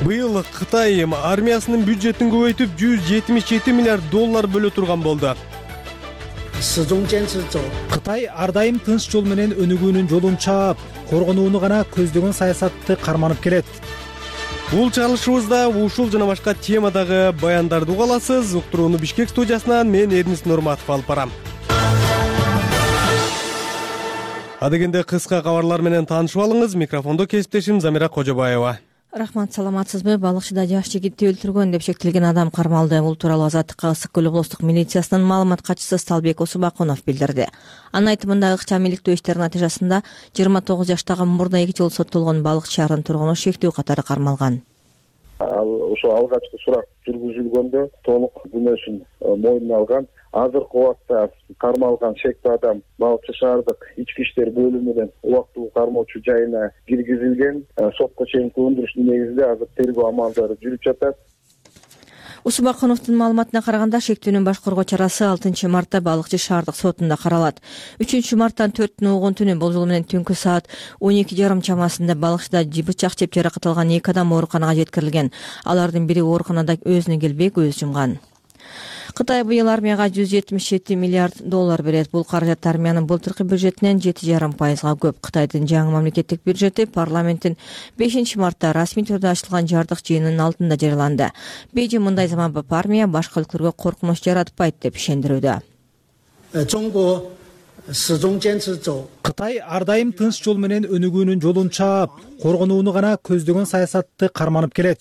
Быйыл Кытай армиясынын бюджетин көбөйтүп $177 миллиард бөлө турган болду. Кытай ар дайым тынч жол менен өнүгүүнүн жолун чаап, коргонууну гана көздөгөн саясатты карманып келет. Бул чыгарылышыбызда ушул жана башка темадагы баяндарды уга аласыз. Уктурууну Бишкек студиясынан мен Эрнис Нурматов алып барам. Адегенде кыска кабарлар менен таанышып алыңыз. Микрофондо кесиптешим Замира Кожобаева. Рахмат, саламатсызбы? Балыкчыда жаш жигитти өлтүргөн деп шектелген адам кармалды. Бул тууралуу Азаттыкка Ысык көл облустук милициясынын маалымат катчысы Сталбек Усубакунов билдирди. Анын айтымында ыкчам иликтөө иштеринин натыйжасында 29 жаштагы мурда 2 жыл соттолгон балыкчы шаарынын тургуну шектүү катары кармалган. Ошо алгачкы сурак жүргүзүлгөндө толук күнөөсүн мойнуна алган. Азыркы убакта кармалган шектүү адам Балыкчы шаардык ички иштер бөлүмүнүн убактылуу кармоочу жайына киргизилген. Сотко чейинки өндүрүштүн негизинде азыр тергөө амалдары жүрүп жатат. Усубакуновдун маалыматына караганда шектүүнүн баш коргоо чарасы 6 мартта Балыкчы шаардык сотунда каралат. 3 марттан 4 түнү бул жолу менен түнкү саат 12:30 чамасында Балыкчыда бычак жеп жаракат алган 2 адам ооруканага жеткирилген. Алардын бири ооруканада өзүнө келбей көз жумган. Кытай быйыл армияга $177 миллиард берет. Бул каражат армиянын былтыркы бюджетинен 7,5%га көп. Кытайдын жаңы мамлекеттик бюджети парламенттин 5 мартта расмий түрдө ачылган жардык жыйынынын алдында жарыяланды. Бейжиң мындай заманбап армия башка өлкөлөргө коркунуч жаратпайт деп ишендирүүдө. Кытай ар дайым тынч жол менен өнүгүүнүн жолун чаап, коргонууну гана көздөгөн саясатты карманып келет.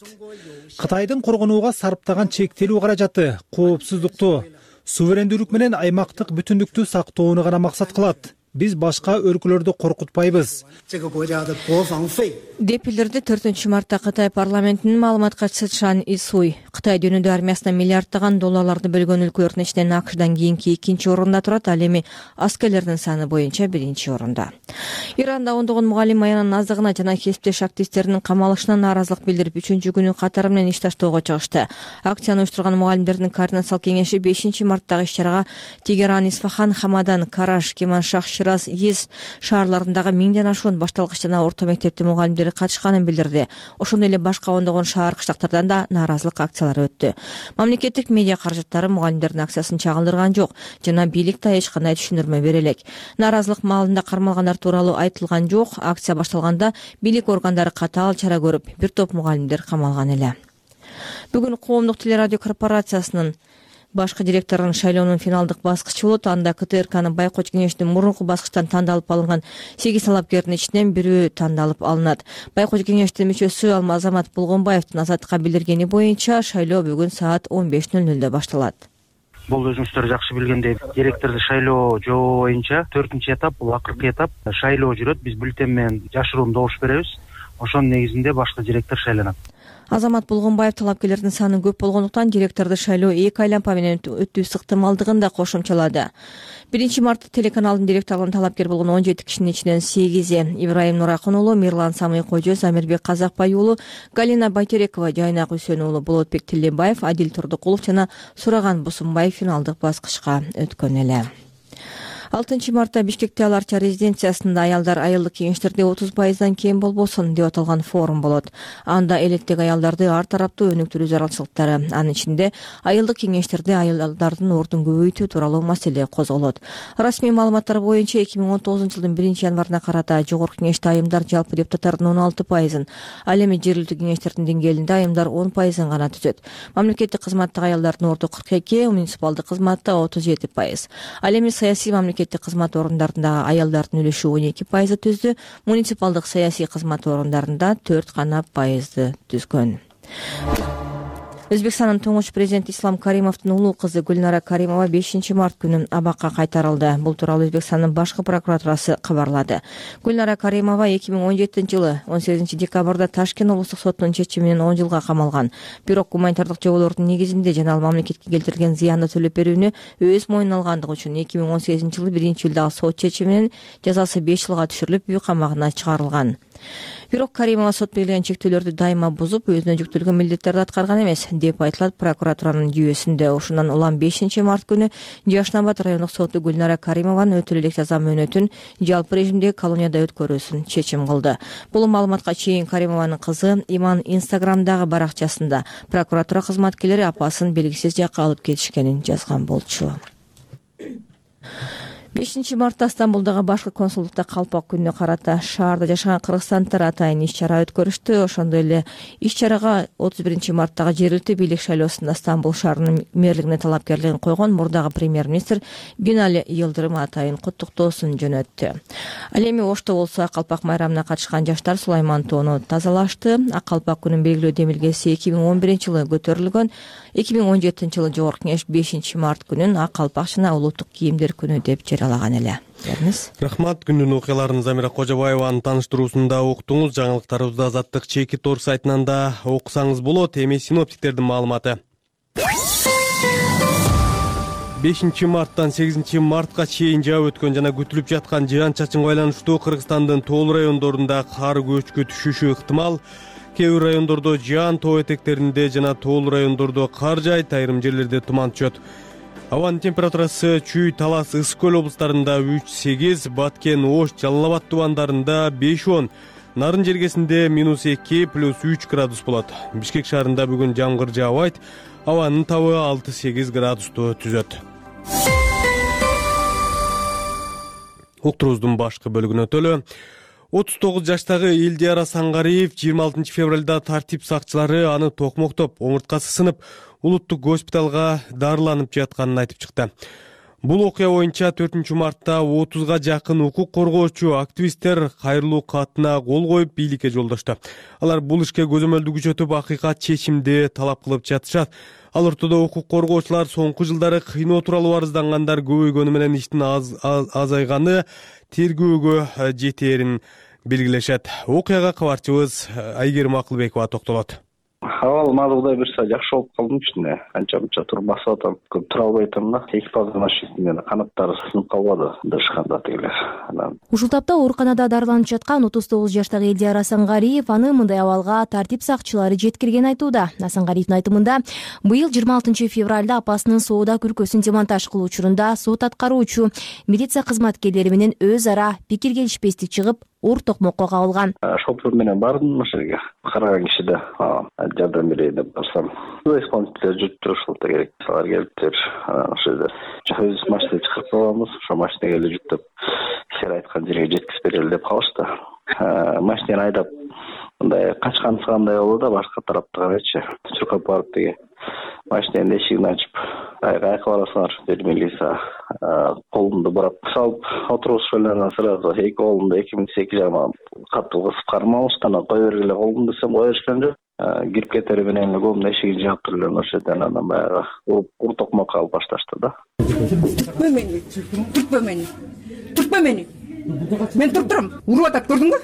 Кытайдын коргонууга сарптаган чектелүү каражаты коопсуздукту, суверендүүлүк менен аймактык бүтүндүктү сактоону гана максат кылат. Биз башка өлкөлөрдү коркутпайбыз деп билдирди 4 мартта Кытай парламентинин маалымат катчысы Шан Исуй. Кытай дүйнөдө армиясына миллиарддаган долларларды бөлгөн өлкөлөрдүн ичинен АКШдан кийинки 2-орунда турат, ал эми аскерлердин саны боюнча 1-орунда. Иранда ондогон мугалим аянын аздыгына жана кесиптеш активисттеринин камалышына нааразылык билдирип 3-күнү катары менен иш таштоого чыгышты. Акцияны уюштурган мугалимдердин координациялык кеңеши 5 марттагы иш-чарага Тегеран, Исфахан, Хамадан, Караш, Кеманшах, Шираз, Ез шаарларындагы 1000ден ашуун башталгыч жана орто мектептин мугалимдери катышканын билдирди. Ошондой эле башка ондогон шаар кыштактардан да нааразылык акциялары өттү. Мамлекеттик медиа каражаттары мугалимдердин акциясын чагылдырган жок жана бийлик да эч кандай түшүндүрмө бере элек. Нааразылык маалында кармалгандар тууралуу айтылган жок. Акция башталганда бийлик органдары катаал чара көрүп, бир топ мугалимдер камалган эле. Бүгүн Коомдук телерадио корпорациясынын башкы директорунун шайлоонун финалдык баскычы болот. Анда КТРКнын байкоочу кеңештин мурунку баскычтан тандалып алынган 8 талапкердин ичинен бирөө тандалып алынат. Байкоочу кеңештин мүчөсү Азамат Булгонбаевдин Азаттыкка билдиргени боюнча шайлоо бүгүн саат 15:00 башталат. Бул өзүңүздөр жакшы билгендей директорду шайлоо жобо боюнча 4-этап, бул акыркы этап шайлоо жүрөт. Биз бюллетень менен жашыруун добуш беребиз. Ошонун негизинде башкы директор шайланат. Азамат Булгонбаев талапкерлердин саны көп болгондуктан директорду шайлоо 2 айланпа менен өтүү сыктымалдыгын да кошумчалады. 1 мартта телеканалдын директорлугуна талапкер болгон 17 кишинин ичинен 8 Ибраим Нуракын уулу, Мирлан Самый Кожөз, Амирбек Казакбай уулу, Галина Байтерекова, Жайнак Үсөн уулу, Болотбек Тилебаев, Адил Турдукулов жана Сураган Бусунбаев финалдык баскычка өткөн эле. 6 мартта Бишкекте Аларча резиденциясында аялдар айылдык кеңештерде 30%дан кем болбосун деп аталган форум болот. Анда элеттеги аялдарды ар тараптуу өнүктүрүү зарылчылыктары, анын ичинде айылдык кеңештерде аялдардын ордун көбөйтүү тууралуу маселе козголот. Расмий маалыматтар боюнча 2019-жылдын 1-январына карата жогорку кеңеште айымдар жалпы депутаттардын 16%, ал эми жергиликтүү кеңештердин деңгээлинде айымдар 10% гана түзөт. Мамлекеттик кызматтагы аялдардын орду 42, муниципалдык кызматта 37%. Ал эми саясий мамлекеттик кызмат орундарында аялдардын үлүшү 12% түздү, муниципалдык саясий кызмат орундарында 4% түзгөн. Өзбекстандын туңуш президенти Ислам Каримовдун улуу кызы Гүлнара Каримова 5 март күнү абакка кайтарылды. Бул тууралуу Өзбекстандын башкы прокуратурасы кабарлады. Гүлнара Каримова 2017-жылы 18 декабрда Ташкент облустук сотунун чечими менен 10 жылга камалган. Бирок гуманитардык жоболордун негизинде жана ал мамлекетке келтирген зыянды төлөп берүүнү өз мойнуна алгандыгы үчүн 2018-жылы 1-июлда сот чечими менен жазасы 5 жылга түшүрүлүп, үй камагына чыгарылган. Бирок Каримова сот белгилеген чектөөлөрдү дайыма бузуп, өзүнө жүктөлгөн милдеттерди аткарган эмес деп айтылат прокуратуранын жүйөсүндө. Ошондон улам 5 март күнү Жашнабад райондук соту Гүлнара Каримованын өтөлө элек жаза мөөнөтүн жалпы режимдеги колонияда өткөрүүсүн чечим кылды. Бул маалыматка чейин Каримованын кызы Иман Инстаграмдагы баракчасында прокуратура кызматкерлери апасын белгисиз жакка алып кетишкенин жазган болчу. 5 мартта Стамбулдагы башкы консулдукта калпак күнүнө карата шаарда жашаган кыргызстандыктар атайын иш-чара өткөрүштү. Ошондой эле иш-чарага 31 марттагы жергиликтүү бийлик шайлоосунда Стамбул шаарынын мэрлигине талапкерлигин койгон мурдагы премьер-министр Бинали Йылдырым атайын куттуктоосун жөнөттү. Ал эми Ошто болсо калпак майрамына катышкан жаштар Сулайман тоону тазалашты. Калпак күнүн белгилөө демилгеси 2011-жылы көтөрүлгөн. 2017-жылы Жогорку Кеңеш 5 март күнүн ак калпак жана улуттук кийимдер күнү деп жарыялаган эле. Рахмат. Күндүн окуяларын Замира Кожобаеванын таныштыруусунда уктуңуз. Жаңылыктарыбызды Азаттык чеки тор сайтынан да окусаңыз болот. Эми синоптиктердин маалыматы. 5 марттан 8 мартка чейин жаап өткөн жана күтүлүп жаткан жаан-чачынга байланыштуу Кыргызстандын тоол райондорунда кар көчкү түшүшү ыктымал. Кээ бир райондордо жаан, тоо этектеринде жана тоол райондордо кар жаайт, айрым жерлерде туман түшөт. Абанын температурасы Чүй, Талас, Ысык көл облустарында 3-8, Баткен, Ош, Жалал Абад тубандарында 5-10, Нарын жергесинде -2 + 3 градус болот. Бишкек шаарында бүгүн жамгыр жаабайт, абанын табы 6-8 градусту түзөт. Уктурубуздун башкы бөлүгүнө өтөлү. 39 жаштагы Элдияра Сангариев 26 февралда тартип сакчылары аны токмоктоп, омурткасы сынып, улуттук госпиталга дарыланып жатканын айтып чыкты. Бул окуя боюнча 4 мартта 30га жакын укук коргоочу активисттер кайрылуу катына кол коюп бийликке жолдошту. Алар бул ишке көзөмөлдү күчөтүп, акыйкат чечимди талап кылып жатышат. Ал ортодо укук коргоочулар соңку жылдары кыйноо тууралуу арыздангандар көбөйгөнү менен иштин азайганы тергөөгө жетээрин белгилешет. Окуяга кабарчыбыз Айгерим Акылбекова токтолот. Абал маалымдай берсе жакшы болуп калдым ичинде. Канча-мынча туруп басып атам. Көп тура албай атам да. Экипаждын ашыгында канаттары сынып калбады. Дышканда тигилер. Ушул тапта ооруканада дарыланып жаткан 39 жаштагы Элдияра Сангариев аны мындай абалга тартип сакчылары жеткирген айтууда. Сангариевдин айтымында, быйыл 26 февралда апасынын соода күркөсүн демонтаж кылуу учурунда сот аткаруучу милиция кызматкерлери менен өз ара пикир келишпестик чыгып, оор токмокко кабылган. Шофер менен бардым ошерге. Караган кишиде жардам берейин деп барсам, исполнительдер жүрүптүр, ошолто керек. Алар келиптир. Ошо жерде өз машина чыгарып алганбыз. Ошо машинага эле жүктөп, силер айткан жерге жеткизип берели деп калышты. Машинаны айдап мындай качкан сыгандай болду да, башка тарапты карайчы. Чуркап барып деги машинанын эшигин ачып, кайка барасыңар деди милиция. Колумду бурап салып отурушкандан сразу эки колумду 2008 жагына катуу кысып кармалышты. Анан кой бергиле колумду десем кое беришкен жок. Кирип кетери менен колумдун эшигин жаап туруп ошо жерден анан баягы ур токмокко алып башташты да. Түртпө мени, түртпө мени. Түртпө мени. Мен туртурам. Уруп атат, көрдүңбү?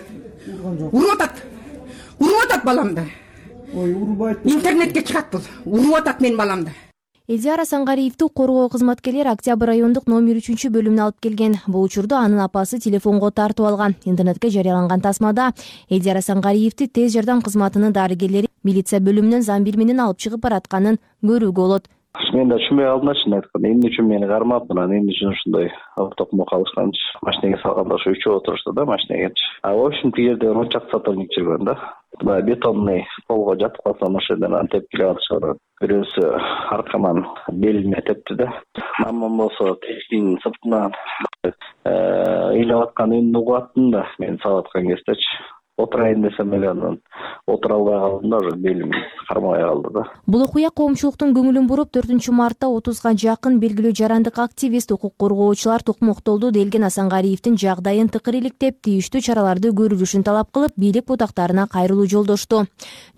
Уруп атат. Уруп атат баламды. Ой, урубайт. Интернетке чыгат бул. Уруп атат менин баламды. Элдияра Сангариевди коргоо кызматкерлери Октябрь райондук номер 3-бөлүмүнө алып келген. Бул учурда анын апасы телефонго тартып алган. Интернетке жарыяланган тасмада Элдияра Сангариевди тез жардам кызматынын дарыгерлери милиция бөлүмүнөн замбир менен алып чыгып баратканын көрүүгө болот. Мен да түшүнбөй калдым чын айтканда. Эмне үчүн мени кармап, анан эмне үчүн ушундай токмок алышканчы. Машинеге салганда ошо үчөө отурушту да машинеге. В общем, тигерде ончак сотрудник жүргөн да. Бетонный полго жатып калсам ошо жерден анан тепкилеп атышат. Бирөөсү аркаман белиме тепти да. Мамам болсо тесиктин сыртынан ыйлап аткан үнүн угуп аттым да, мен салып аткан кездечи. отурайын десем эле анан отура албай калдым да, уже белим кармабай калды да. Бул окуя коомчулуктун көңүлүн буруп, 4-мартта 30га жакын белгилүү жарандык активист, укук коргоочулар токмоктолду делген Асангариевдин жагдайын тыкыр иликтеп, тийиштүү чараларды көрүлүшүн талап кылып, бийлик бутактарына кайрылуу жолдошту.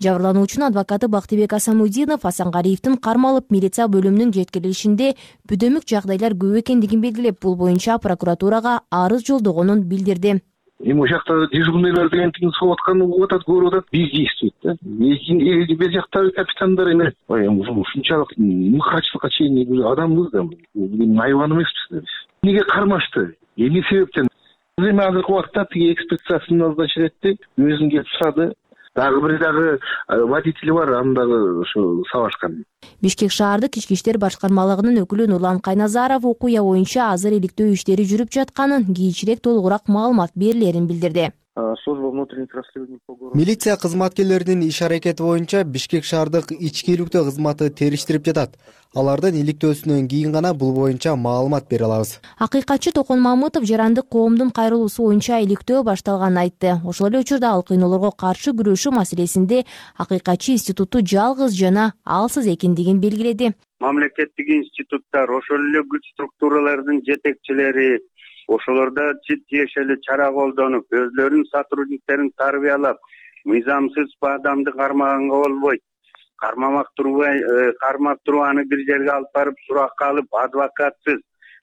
Жабырлануучунун адвокаты Бактыбек Асамудинов Асангариевдин кармалып милиция бөлүмүнүн жеткирилишинде бүдөмүк жагдайлар көп экендигин белгилеп, бул боюнча прокуратурага арыз жолдогонун билдирди. Эми ошол жакта дежурныйлар деген тиги согуп аткан угуп атат, көрүп атат, биз дейбиз да. Бер жактагы капитандар эми ушунчалык мыкачылыкка чейин адамбыз да, айбан эмеспиз да биз. Эмнеге кармашты? Эмне себептен? Эми азыркы убакта тиги экспедициясын назначить этти, өзүн келип сурады. Дагы бир водитель бар, аны дагы ушу сабашкан. Бишкек шаардык ички иштер башкармалыгынын өкүлү Нурлан Кайназаров окуя боюнча азыр иликтөө иштери жүрүп жатканын, кийинчерээк толугураак маалымат берилерин билдирди. Служба внутренних расследований по городу. Милиция кызматкерлеринин иш аракети боюнча Бишкек шаардык ички иликтөө кызматы териштирип жатат. Алардын иликтөөсүнөн кийин гана бул боюнча маалымат бере алабыз. Акыйкатчы Токон Мамытов жарандык коомдун кайрылуусу боюнча иликтөө башталганын айтты. Ошол эле учурда ал кыйноолорго каршы күрөшүү маселесинде акыйкатчы институту жалгыз жана алсыз экендигин белгиледи. Мамлекеттик институттар, ошол эле күч структуралардын жетекчилери ошолордо тиешелүү чара колдонуп, өзлөрүнүн сотрудниктерин тарбиялап, мыйзамсыз адамды кармаганга болбойт. Кармап туруп аны бир жерге алып барып суракка алып, адвокатсыз,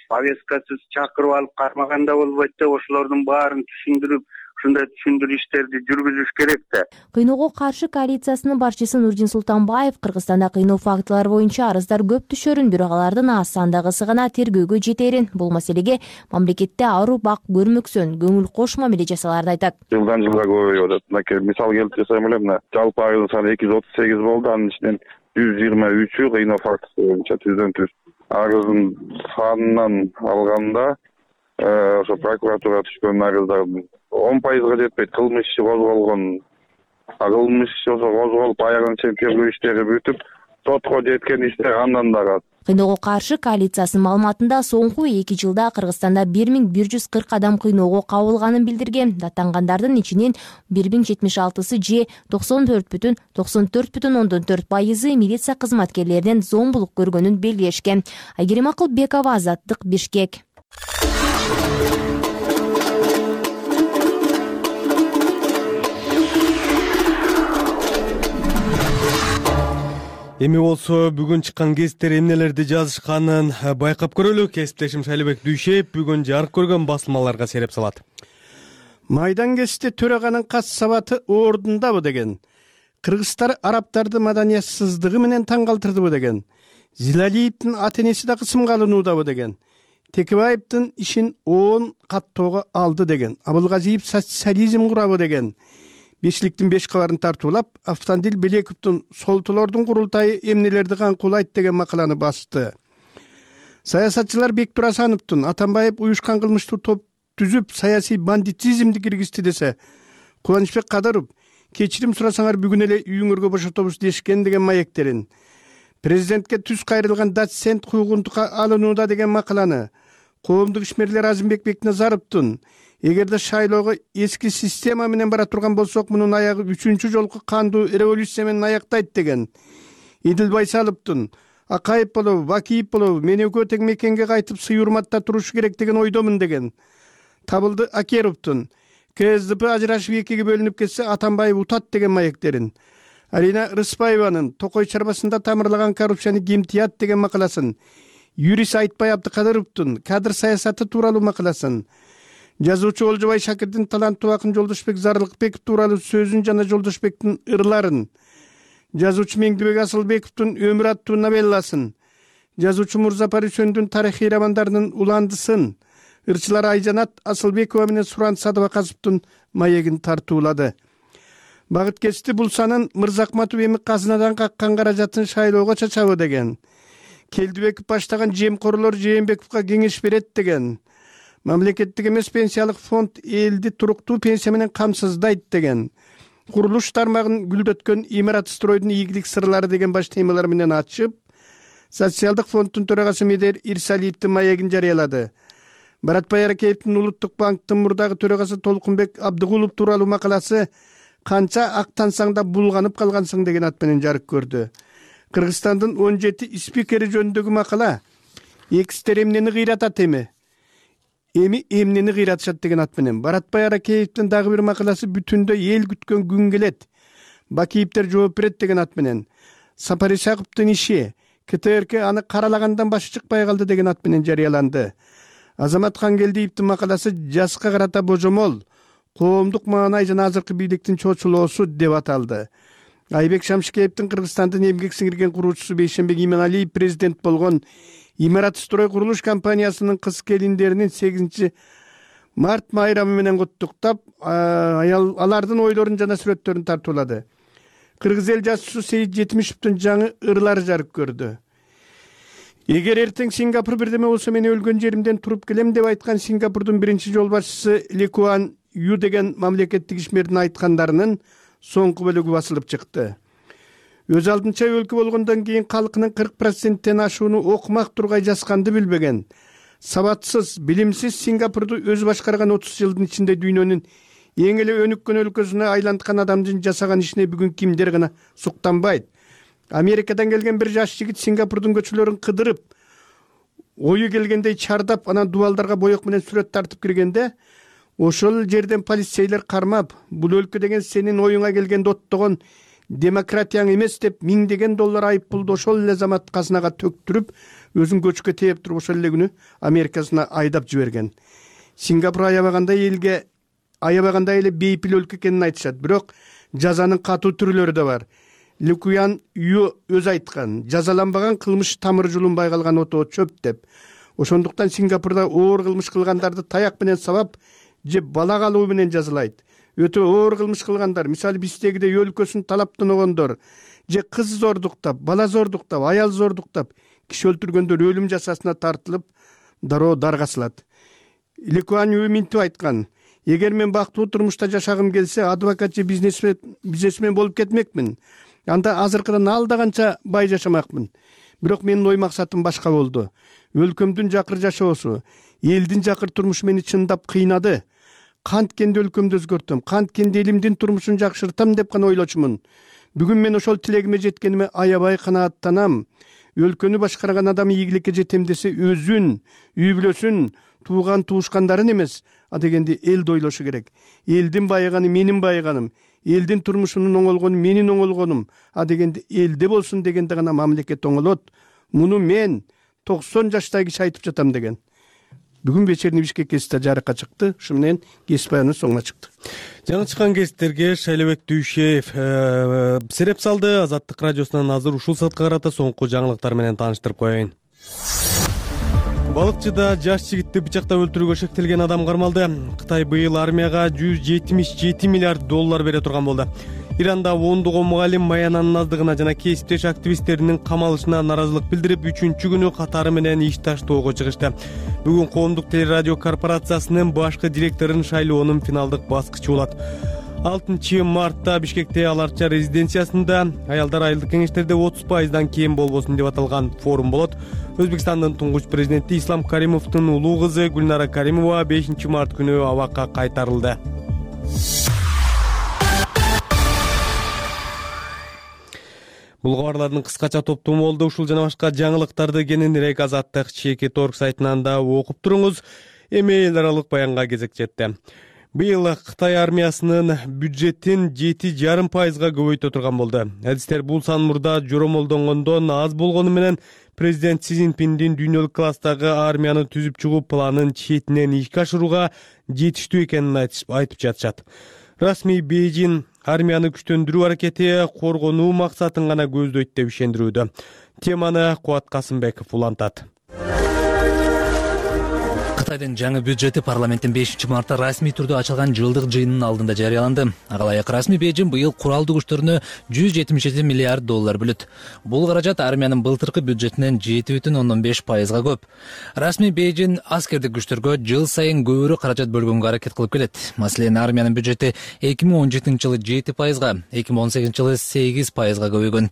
повесткасыз чакырып алып кармаганда болбойт деп ошолордун баарын түшүндүрүп, ушундай түшүндүрүү иштерди жүргүзүш керек да. Кыйноого каршы коалициясынын башчысы Нурдин Султанбаев Кыргызстанда кыйноо фактылары боюнча арыздар көп түшөрүн, бирок алардын аз сандагысы гана тергөөгө жетерин, бул маселеге мамлекетте аруу бак көрмөксөн, көңүл кош мамиле жасаларды айтат. Жылдан жылга көбөйүп атат. Мисал келтирип жатсам эле, мына жалпы айыл саны 238 болду, анын ичинен 123-ü кыйноо фактысы боюнча түздөн-түз. Арыздын санынан алганда ошо прокуратура түшкөн арыздардын 10%га жетпейт. Кылмыш иши козголгон. Кылмыш иши козголуп аягына чейин тергөө иштери бүтүп, сотко жеткен иштер андан дагы аз. Кыйноого каршы коалициясынын маалыматында соңку 2 жылда Кыргызстанда 1140 адам кыйноого кабылганын билдирген. Даттангандардын ичинен 1076-сы же 94,94% милиция кызматкерлеринен зомбулук көргөнүн белгилешкен. Айгерим Акылбекова, Азаттык, Бишкек. Эми болсо бүгүн чыккан гезиттер эмнелерди жазышканын байкап көрөлү. Кесиптешим Шайлебек Дүйшеев бүгүн жарык көргөн басылмаларга сереп салат. Майдан кечти төраганын кас сабаты ордундабы деген. Кыргызстар арабтарды маданиятсыздыгы менен таң калтырдыбы деген. Зилалиевдин ата-энеси да кысымга алынуудабы деген. Текебаевдин ишин 10 каттоого алды деген. Абылгазиев социализм курабы деген. Бешликтин 5 кабарын тартуулап, Автандил Белековдун солтулордун курултайы эмнелерди канкуулайт деген макаланы басты. Саясатчылар Бектур Асановдун Атамбаев уюшкан кылмыштуу топ түзүп, саясий бандитизмди киргизди десе, Кубанычбек Кадыров кечирим сурасаңар бүгүн эле үйүңөргө бошотобуз дешкен деген маектерин, президентке түз кайрылган доцент куугунтукка алынууда деген макаланы, коомдук ишмерлер Азимбек Бекназаровдун эгерде шайлоого эски система менен бара турган болсок, мунун аягы 3-чү жолку кандуу революция менен аяктайт деген, Идил Байсаловдун Акаев болобу, Бакиев болобу мен экөө тең мекенге кайтып сый урматта туруш керек деген ойдомун деген, Табылды Акеровдун КСДП ажырашып экиге бөлүнүп кетсе Атамбаев утат деген маектерин, Арина Рыспаеванын Токой чарбасында тамырлаган коррупцияны ким тыят деген макаласын, юрист Айтбай Абдыкадыровдун кадр саясаты тууралуу макаласын, жазуучу Олжобай Шакирдин таланттуу акын Жолдошбек Зарылыкбеков тууралуу сөзүн жана Жолдошбектин ырларын, жазуучу Меңдибек Асылбековдун өмүр аттуу новелласын, жазуучу Мурзапар Үсөндүн тарыхый романдарынын уландысын, ырчылар Айжанат Асылбекова менен Суран Садыбакасовдун маегин тартуулады. Багыт кечти бул санын Мырзакматов эми казынадан каккан каражатын шайлоого чачабы деген. Келдибеков баштаган жемкорлор Жээнбековго кеңеш берет деген. Мамлекеттик эмес пенсиялык фонд элди туруктуу пенсия менен камсыздайт деген. Курулуш тармагын гүлдөткөн имарат стройдун ийгилик сырлары деген баш темалар менен ачып, социалдык фонддун төрагасы Медер Ирсалиевдин маегин жарыялады. Баратбай Аракеевдин Улуттук банктын мурдагы төрагасы Толкунбек Абдыгулов тууралуу макаласы канча актансаң да булганып калгансың деген ат менен жарык көрдү. Кыргызстандын 17 спикери жөнүндөгү макала экстер эмнени кыйратат эми эмнени кыйратышат деген ат менен. Баратбай Аракеевдин дагы бир макаласы бүтүндөй эл күткөн күн келет. Бакиевдер жооп берет деген ат менен. Сапар Исаковдун иши КТРК аны каралагандан башы чыкпай калды деген ат менен жарыяланды. Азамат Хангелдиевдин макаласы жашка карата божомол, коомдук маанай жана азыркы бийликтин чочулоосу деп аталды. Айбек Шамшикеевдин Кыргызстандын эмгек сиңирген куруучусу Бейшенбек Иманалиев президент болгон Имарат строй курулуш компаниясынын кыз келиндеринин 8 март майрамы менен куттуктап, алардын ойлорун жана сүрөттөрүн тартуулады. Кыргыз эл жазуучусу Сейит Жетимишевдин жаңы ырлары жарык көрдү. Эгер эртең Сингапур бирдеме болсо мен өлгөн жеримден туруп келем деп айткан Сингапурдун биринчи жол башчысы Ли Куан Ю деген мамлекеттик ишмердин айткандарынын соңку бөлүгү басылып чыкты. Өз алдынча өлкө болгондон кийин калкынын 40%тен ашууну окумак тургай жазганды билбеген, сабатсыз, билимсиз Сингапурду өз башкарган 30 жылдын ичинде дүйнөнүн эң эле өнүккөн өлкөсүнө айланткан адамдын жасаган ишине бүгүн кимдер гана суктанбайт. Америкадан келген бир жаш жигит Сингапурдун көчөлөрүн кыдырып, ою келгендей чардап, анан дубалдарга боек менен сүрөт тартып киргенде, ошол жерден полицейлер кармап, бул өлкө деген сенин оюңа келгенде оттогон демократияң эмес деп $1000 айып пулду ошол эле замат казынага төктүрүп, өзүн көчкө тээп туруп ошол эле күнү Америкасына айдап жиберген. Сингапур аябагандай эле бейпил өлкө экенин айтышат, бирок жазанын катуу түрлөрү да бар. Ли Куан Ю өз айткан, жазаланбаган кылмыш тамыры жулунбай калган отоо чөп деп. Ошондуктан Сингапурда оор кылмыш кылгандарды таяк менен сабап же бала калуу менен жазалайт. Өтө оор кылмыш кылгандар, мисалы биздегидей өлкөсүн талаптаногондор, же кыз зордуктап, бала зордуктап, аял зордуктап, киши өлтүргөндөр өлүм жазасына тартылып, дароо даргасылат. Ли Куан Ю минтип айткан: эгер мен бактылуу турмушта жашагым келсе, адвокат же бизнесмен болуп кетмекмин. Анда азыркыдан алда канча бай жашамакмын. Бирок менин ой максатым башка болду. Өлкөмдүн жакыр жашоосу, элдин жакыр турмушу мени чындап кыйнады. Канткенде өлкөмдү өзгөртөм, канткенде элимдин турмушун жакшыртам деп гана ойлочумун. Бүгүн мен ошол тилегиме жеткениме аябай канааттанам. Өлкөнү башкарган адам ийгиликке жетем десе, өзүн, үй бүлөсүн, тууган туушкандарын эмес, дегенде элди ойлошу керек. Элдин байыганы менин байыганым, элдин турмушунун оңолгону менин оңолгонум, дегенде элде болсун дегенде гана мамлекет оңолот. Муну мен 90 жаштагы киши айтып жатам деген. Бүгүн вечерний Бишкек гезити жарыкка чыкты. Ушу менен кесип баяныбыз соңуна чыкты. Жаңы чыккан гезиттерге Шайлебек Дүйшеев сереп салды. Азаттык радиосунан азыр ушул саатка карата соңку жаңылыктар менен тааныштырып коеюн. Балыкчыда жаш жигитти бычактап өлтүрүүгө шектелген адам кармалды. Кытай быйыл армияга $177 миллиард бере турган болду. Иранда ондогон мугалим маянанын аздыгына жана кесиптеш активисттеринин камалышына наразылык билдирип, 3-чү күнү катары менен иш таштоого чыгышты. Бүгүн Коомдук телерадио корпорациясынын башкы директорун шайлоонун финалдык баскычы болот. 6 мартта Бишкекте аларча резиденциясында аялдар айылдык кеңештерде 30%дан кем болбосун деп аталган форум болот. Өзбекстандын туңгуч президенти Ислам Каримовдун улуу кызы Гүлнара Каримова 5 март күнү абакка кайтарылды. Бул кабарлардын кыскача топтому болду. Ушул жана башка жаңылыктарды кененирээк Азаттык Чекит Орг сайтынан да окуп туруңуз. Эми эл аралык баянга кезек жетти. Быйыл Кытай армиясынын бюджетин 7,5%га көбөйтө турган болду. Адистер бул сан мурда жоромолдонгондон аз болгону менен президент Си Цзиньпиндин дүйнөлүк класстагы армияны түзүп чыгуу планын четинен ишке ашырууга жетиштүү экенин айтып жатышат. Расмий Бейжин армияны күчтөндүрүү аракети коргонуу максатын гана көздөйт деп ишендирүүдө. Теманы Кубат Касымбеков улантат. Кытайдын жаңы бюджети парламенттин 5 мартта расмий түрдө ачылган жылдык жыйынынын алдында жарыяланды. Ага ылайык расмий Бейжин быйыл куралдуу күчтөрүнө $177 миллиард бөлөт. Бул каражат армиянын былтыркы бюджетинен 7,5%га көп. Расмий Бейжин аскердик күчтөргө жыл сайын көбүрөөк каражат бөлгөнгө аракет кылып келет. Маселен, армиянын бюджети 2017-жылы 7%га, 2018-жылы 8%га көбөйгөн.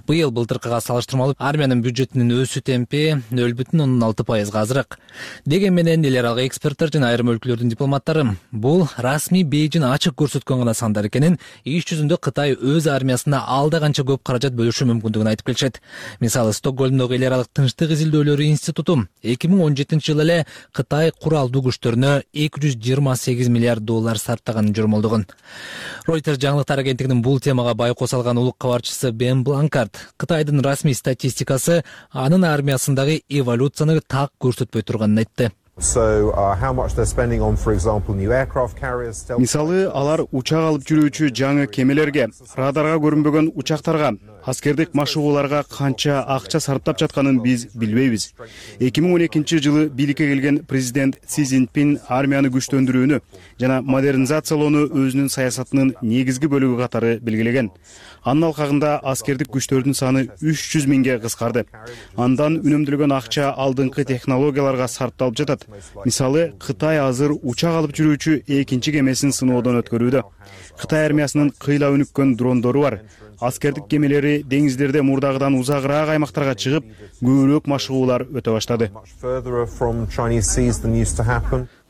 Быйыл былтыркыга салыштырмалуу армиянын бюджетинин өсүү темпи 0,6%га азыраак. Деген менен эл аралык эксперттер жана айрым өлкөлөрдүн дипломаттары бул расмий Бейжин ачык көрсөткөн гана сандар экенин, иш жүзүндө Кытай өз армиясына алда канча көп каражат бөлүшү мүмкүндүгүн айтып келишет. Мисалы, Стокгольмдогу эл аралык тынчтык изилдөөлөрү институту 2017-жылы эле Кытай куралдуу күчтөрүнө $228 миллиард сарптаганын жормолдогон. Reuters жаңылыктар агенттигинин бул темага байкоо салган улук кабарчысы Бен Бланкарт Кытайдын расмий статистикасы анын армиясындагы эволюцияны так көрсөтпөй турганын айтты. Мисалы, алар учак алып жүрүүчү жаңы кемелерге, радарга көрүнбөгөн учактарга, аскердик машыгууларга канча акча сарптап жатканын биз билбейбиз. 2012-жылы бийликке келген президент Си Цзиньпин армияны күчтөндүрүүнү жана модернизациялоону өзүнүн саясатынын негизги бөлүгү катары белгилеген. Анын алкагында аскердик күчтөрдүн саны 300 миңге кыскарды. Андан үнөмдөлгөн акча алдыңкы технологияларга сарпталып жатат. Мисалы, Кытай азыр учак алып жүрүүчү экинчи кемесин сыноодон өткөрүүдө. Кытай армиясынын кыйла өнүккөн дрондору бар. Аскердик кемелери деңиздерде мурдагыдан узагыраак аймактарга чыгып, көбүрөөк машыгуулар өтө баштады.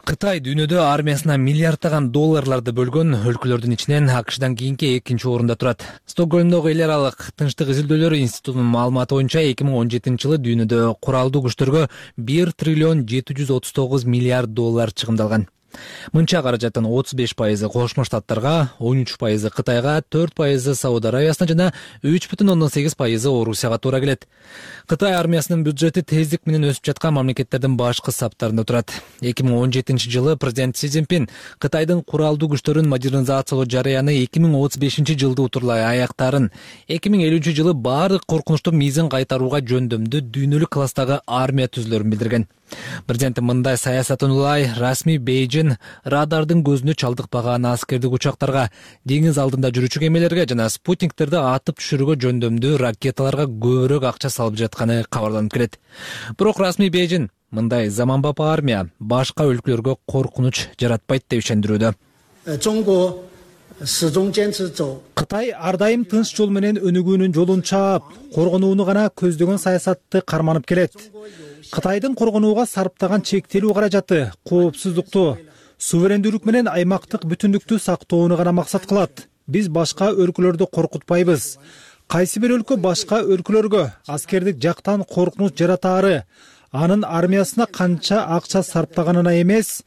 Кытай дүйнөдө армиясына миллиарддаган долларларды бөлгөн өлкөлөрдүн ичинен АКШдан кийинки экинчи орунда турат. Стокгольмдогу эл аралык тынчтык изилдөөлөрү институтунун маалыматы боюнча 2017-жылы дүйнөдө куралдуу күчтөргө $1,739 миллиард чыгымдалган. Мынча каражаттын 35% Кошмо Штаттарга, 13% Кытайга, 4% Сауд Аравиясына жана 3,8% Орусияга туура келет. Кытай армиясынын бюджети тездик менен өсүп жаткан мамлекеттердин башкы саптарында турат. 2017-жылы президент Си Цзиньпин Кытайдын куралдуу күчтөрүн модернизациялоо жарыяны 2035-жылды утурлай аяктарын, 2050-жылы баардык коркунучтуу мизин кайтарууга жөндөмдүү дүйнөлүк класстагы армия түзүлөрүн билдирген. Президент мындай саясатын улай расмий Бейжин радардын көзүнө чалдыкпаган аскердик учактарга, деңиз алдында жүрүүчү кемелерге жана спутниктерди атып түшүрүүгө жөндөмдүү ракеталарга көбүрөөк акча салып жатканы кабарланып келет. Бирок расмий Бейжин мындай заманбап армия башка өлкөлөргө коркунуч жаратпайт деп ишендирүүдө. Кытай ар дайым тынч жол менен өнүгүүнүн жолун чаап, коргонууну гана көздөгөн саясатты карманып келет. Кытайдын коргонууга сарптаган чектелүү каражаты коопсуздукту, суверендүүлүк менен аймактык бүтүндүктү сактоону гана максат кылат. Биз башка өлкөлөрдү коркутпайбыз. Кайсы бир өлкө башка өлкөлөргө аскердик жактан коркунуч жаратаары, анын армиясына канча акча сарптаганына эмес,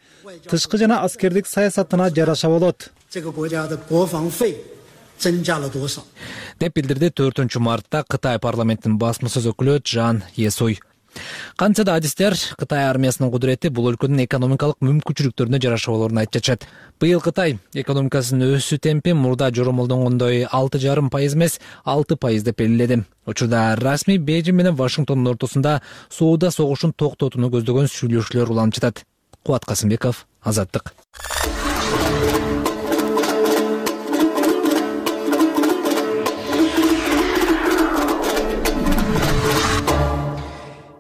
тышкы жана аскердик саясатына жараша болот. Деп билдирди 4-мартта Кытай парламентинин басма сөз өкүлү Жан Есуй. Кантса да адистер Кытай армиясынын кудурети бул өлкөнүн экономикалык мүмкүнчүлүктөрүнө жараша болоорун айтып жатышат. Быйыл Кытай экономикасынын өсүү темпи мурда жоромолдонгондой 6,5% эмес 6% деп белгиледи. Учурда расмий Бейжин менен Вашингтондун ортосунда соода согушун токтотууну көздөгөн сүйлөшүүлөр уланып жатат. Кубат Касымбеков, Азаттык.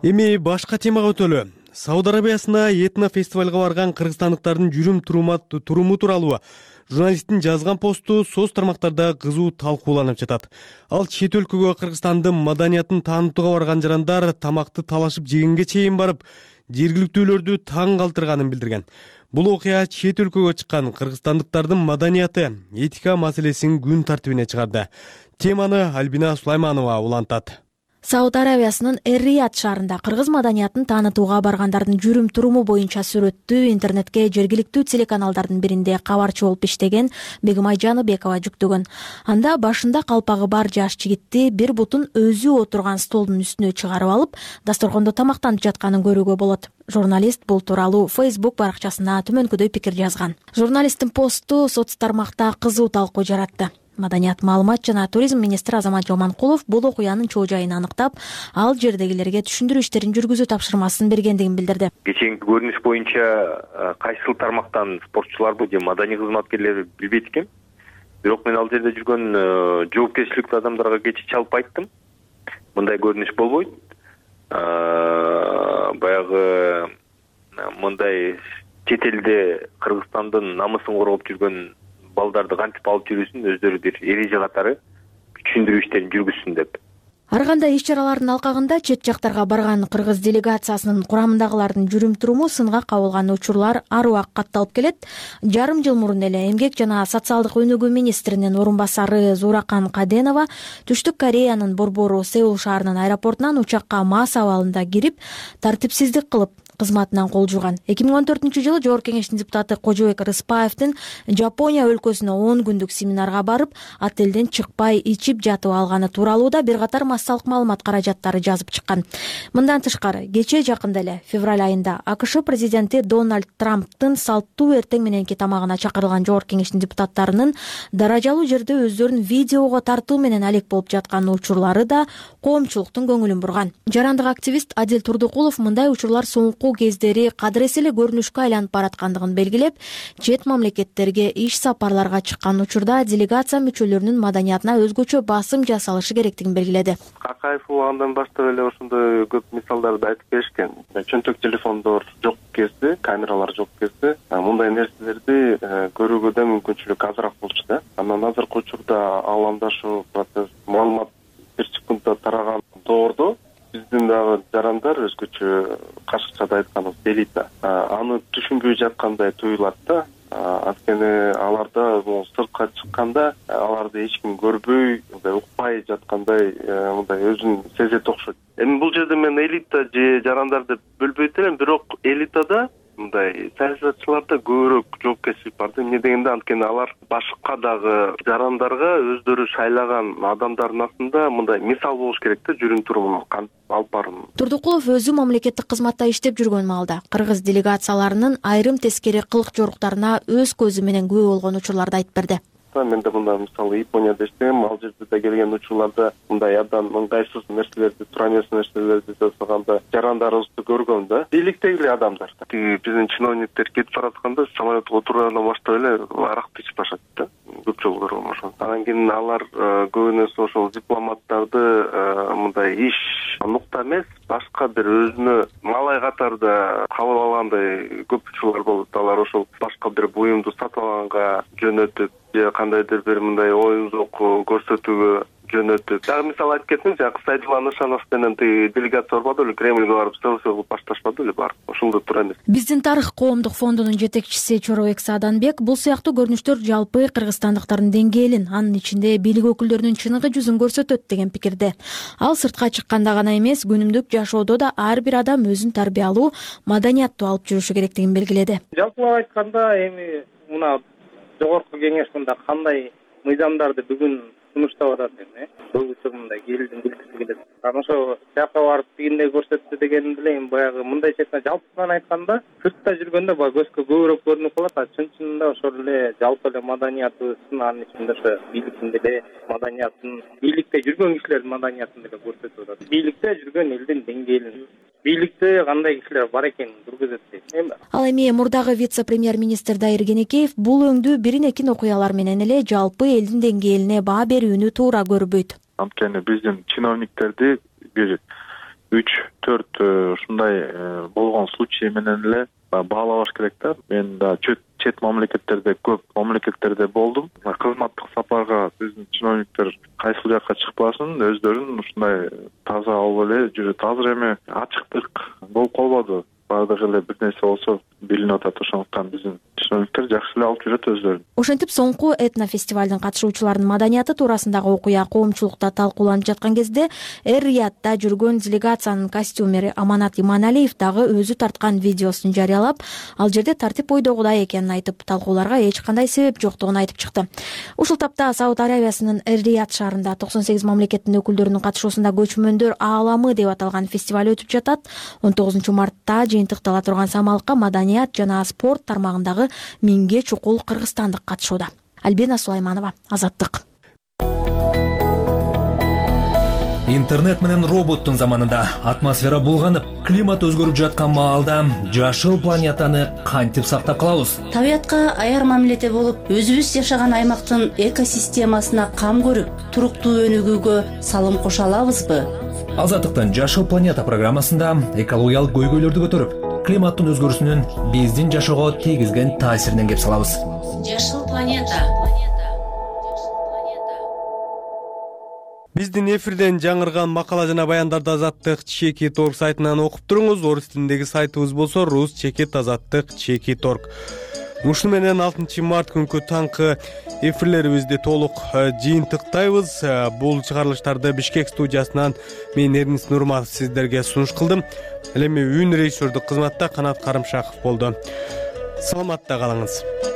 Эми башка темага өтөлү. Сауд Арабиясына этно фестивалга барган кыргызстандыктардын жүрүм туруму тууралуу журналисттин жазган посту соц тармактарда кызуу талкууланып жатат. Ал чет өлкөгө Кыргызстандын маданиятын таанытууга барган жарандар тамакты талашып жегенге чейин барып, жергиликтүүлөрдү таң калтырганын билдирген. Бул окуя чет өлкөгө чыккан кыргызстандыктардын маданияты, этика маселесин күн тартибине чыгарды. Теманы Альбина Сулайманова улантат. Сауд Аравиясынын Эр-Рияд шаарында кыргыз маданiyatын таанытууга баргандардын жүрүм туруму боюнча сүрөттү интернетке жергиликтүү телеканалдардын биринде кабарчы болуп иштеген Бегимай Жаныбекова жүктөгөн. Анда башында калпагы бар жаш жигитти бир бутун өзү отурган столдун үстүнө чыгарып алып, дасторкондо тамактанып жатканын көрүүгө болот. Журналист бул тууралуу Facebook баракчасына төмөнкүдөй пикир жазган. Журналисттин посту соц тармакта кызуу талкуу жаратты. Маданият, маалымат жана туризм министри Азамат Жоманкулов бул окуянын чоо жайын аныктап, ал жердегилерге түшүндүрүү иштерин жүргүзүү тапшырмасын бергендигин билдирди. Кечээки көрүнүш боюнча кайсыл тармактан спортчуларбы же маданий кызматкерлерби билбейт экен. Бирок мен ал жерде жүргөн жоопкерчиликтүү адамдарга кечээ чалып айттым. Мындай көрүнүш болбойт. Баягы мындай чет элде Кыргызстандын намысын коргоп жүргөн балдарды кантип алып жүрүүсүн өздөрү бир эреже катары түшүндүрүү иштерин жүргүзсүн деп. Ар кандай иш-чаралардын алкагында чет жактарга барган кыргыз делегациясынын курамындагылардын жүрүм-туруму сынга кабылган учурлар ар убак катталып келет. Жарым жыл мурун эле Эмгек жана социалдык өнүгүү министринин орун басары Зуракан Каденова Түштүк Кореянын борбору Сеул шаарынын аэропортунан учакка мас абалында кирип, тартипсиздик кылып кызматынан кол жууган. 2014-жылы Жогорку Кеңештин депутаты Кожобек Рыспаевдин Жапония өлкөсүнө 10 күндүк семинарга барып, отелден чыкпай ичип жатып алганы тууралуу да бир катар массалык маалымат каражаттары жазып чыккан. Мындан тышкары, кечээ жакында эле февраль айында АКШ президенти Дональд Трамптын салттуу эртең мененки тамагына чакырылган Жогорку Кеңештин депутаттарынын даражалуу жерде өздөрүн видеого тартуу менен алек болуп жаткан учурлары да коомчулуктун көңүлүн бурган. Жарандык активист Адил Турдукулов мындай учурлар соңку кездери кадырес эле көрүнүшкө айланып бараткандыгын белгилеп, чет мамлекеттерге иш сапарларга чыккан учурда делегация мүчөлөрүнүн маданиятына өзгөчө басым жасалышы керектигин белгиледи. Акаев убагынан баштап эле ошондой көп мисалдарды айтып беришкен. Чөнтөк телефондор жок кезде, камералар жок кезде мындай нерселерди көрүүгө да мүмкүнчүлүк азыраак болчу да. Анан азыркы учурда ааламдашу процесс, маалымат бир секундда тараган доордо биздин дагы жарандар өзгөчө кашыкчада айтканыбыз элита аны түшүнбөй жаткандай туюлат да. Анткени аларда сыртка чыкканда аларды эч ким көрбөй, мындай укпай жаткандай мындай өзүн сезет окшойт. Эми бул жерде мен элита же жарандар деп бөлбөйт элем, бирок элитада мындай саясатчыларда көбүрөөк жоопкерчилик бар да. Эмне дегенде, анткени алар башка дагы жарандарга өздөрү шайлаган адамдардын астында мындай мисал болуш керек да, жүрүм-турумун кантип алып барууну. Турдукулов өзү мамлекеттик кызматта иштеп жүргөн маалда кыргыз делегацияларынын айрым тескери кылык жоруктарына өз көзү менен күбө болгон учурларды айтып берди. Мен да мындай мисалы Японияда иштегем, ал жерде да келген учурларда мындай абдан ыңгайсыз нерселерди, туура эмес нерселерди жасаганда жарандарыбызды көргөм да. Бийликтеги адамдар. Биздин чиновниктер кетип баратканда самолетке отургандан баштап эле аракты ичип башат да. Көп жолу көргөм ошону. Анан кийин алар көбүнесе ошол дипломаттарды мындай иш нукта эмес, башка бир өзүнө малай катарда кабыл алгандай көп учурлар болот. Алар ошол башка бир буюмду сатып алганга жөнөтүп, же кандайдыр бир мындай оюн-зоок көрсөтүүгө жөнөтүп. Дагы мисал айтып кетсем, жанагы Сайдулла Нышанов менен делегация барбады беле, Кремльге барып селфи кылып башташпады беле бар. Ошондо туура эмес. Биздин тарых коомдук фондунун жетекчиси Чоробек Сааданбек бул сыяктуу көрүнүштөр жалпы кыргызстандыктардын деңгээлин, анын ичинде бийлик өкүлдөрүнүн чыныгы жүзүн көрсөтөт деген пикирде. Ал сыртка чыкканда гана эмес, күнүмдүк жашоодо да ар бир адам өзүн тарбиялуу, маданияттуу алып жүрүшү керектигин белгиледи. Жалпылап айтканда, эми мына Жогорку Кеңеш мында кандай мыйзамдарды бүгүн сунуштап атат эми, көбүсү мындай элдин билгиси келет. Анан ошо жака барып тигиндей көрсөттү деген деле эми баягы мындай четинен жалпысынан айтканда, сыртта жүргөндө баягы көзгө көбүрөөк көрүнүп калат, чын-чынында ошол эле жалпы эле маданиятыбыздын анын ичинде ошо бийликтин деле маданиятын, бийликте жүргөн кишилердин маданиятын деле көрсөтүп атат. Бийликте жүргөн элдин деңгээлин, бийликте кандай кишилер бар экенин көргөзөт дейм. Ал эми мурдагы вице-премьер-министр Дайыр Кенекеев бул өңдүү бирин-экин окуялар менен эле жалпы элдин деңгээлине баа берүүнү туура көрбөйт. Анткени биздин чиновниктерди бир 3-4 ушундай болгон случай менен эле баалабаш керек да. Мен да чет мамлекеттерде, көп мамлекеттерде болдум. Кызматтык сапарга биздин чиновниктер кайсыл жакка чыкпасын, өздөрүн ушундай таза алып эле жүрөт. Азыр эми ачыктык болуп калбады. Бардыгы эле бир нерсе болсо билинип атат, ошондуктан биздин чиновниктер жакшы эле алып жүрөт өздөрүн. Ошентип соңку этнофестивалдын катышуучуларынын маданияты туурасындагы окуя коомчулукта талкууланып жаткан кезде Эр-Риядда жүргөн делегациянын костюмери Аманат Иманалиев дагы өзү тарткан видеосун жарыялап, ал жерде тартип ойдогудай экенин айтып, талкууларга эч кандай себеп жоктугун айтып чыкты. Ушул тапта Сауд Арабиясынын Эр-Рияд шаарында 98 мамлекеттин өкүлдөрүнүн катышуусунда көчмөндөр ааламы деп аталган фестиваль өтүп жатат. 19 мартта жыйынтыктала турган самалыкка маданият жана спорт тармагындагы 1000ге чукул кыргызстандык катышууда. Альбина Сулайманова, Азаттык. Интернет менен роботтун заманында атмосфера булганып, климат өзгөрүп жаткан маалда жашыл планетаны кантип сактап калабыз? Табиятка аяр мамиледе болуп, өзүбүз жашаган аймактын экосистемасына кам көрүп, туруктуу өнүгүүгө салым кошо алабызбы? Азаттыктын Жашыл планета программасында экологиялык көйгөйлөрдү көтөрүп, климаттын өзгөрүүсүнүн биздин жашоого тийгизген таасиринен кеп салабыз. Жашыл планета. Биздин эфирден жаңырган макала жана баяндарды Азаттык Чекит Орг сайтынан окуп туруңуз. Орус тилиндеги сайтыбыз болсо rus.azаттыk.org. Ушуну менен 6 март күнкү таңкы эфирлерибизди толук жыйынтыктайбыз. Бул чыгарылыштарды Бишкек студиясынан мен Эрнис Нурматов сиздерге сунуш кылдым. Ал эми үн режиссердук кызматта Канат Карымшаков болду. Саламатта калыңыз.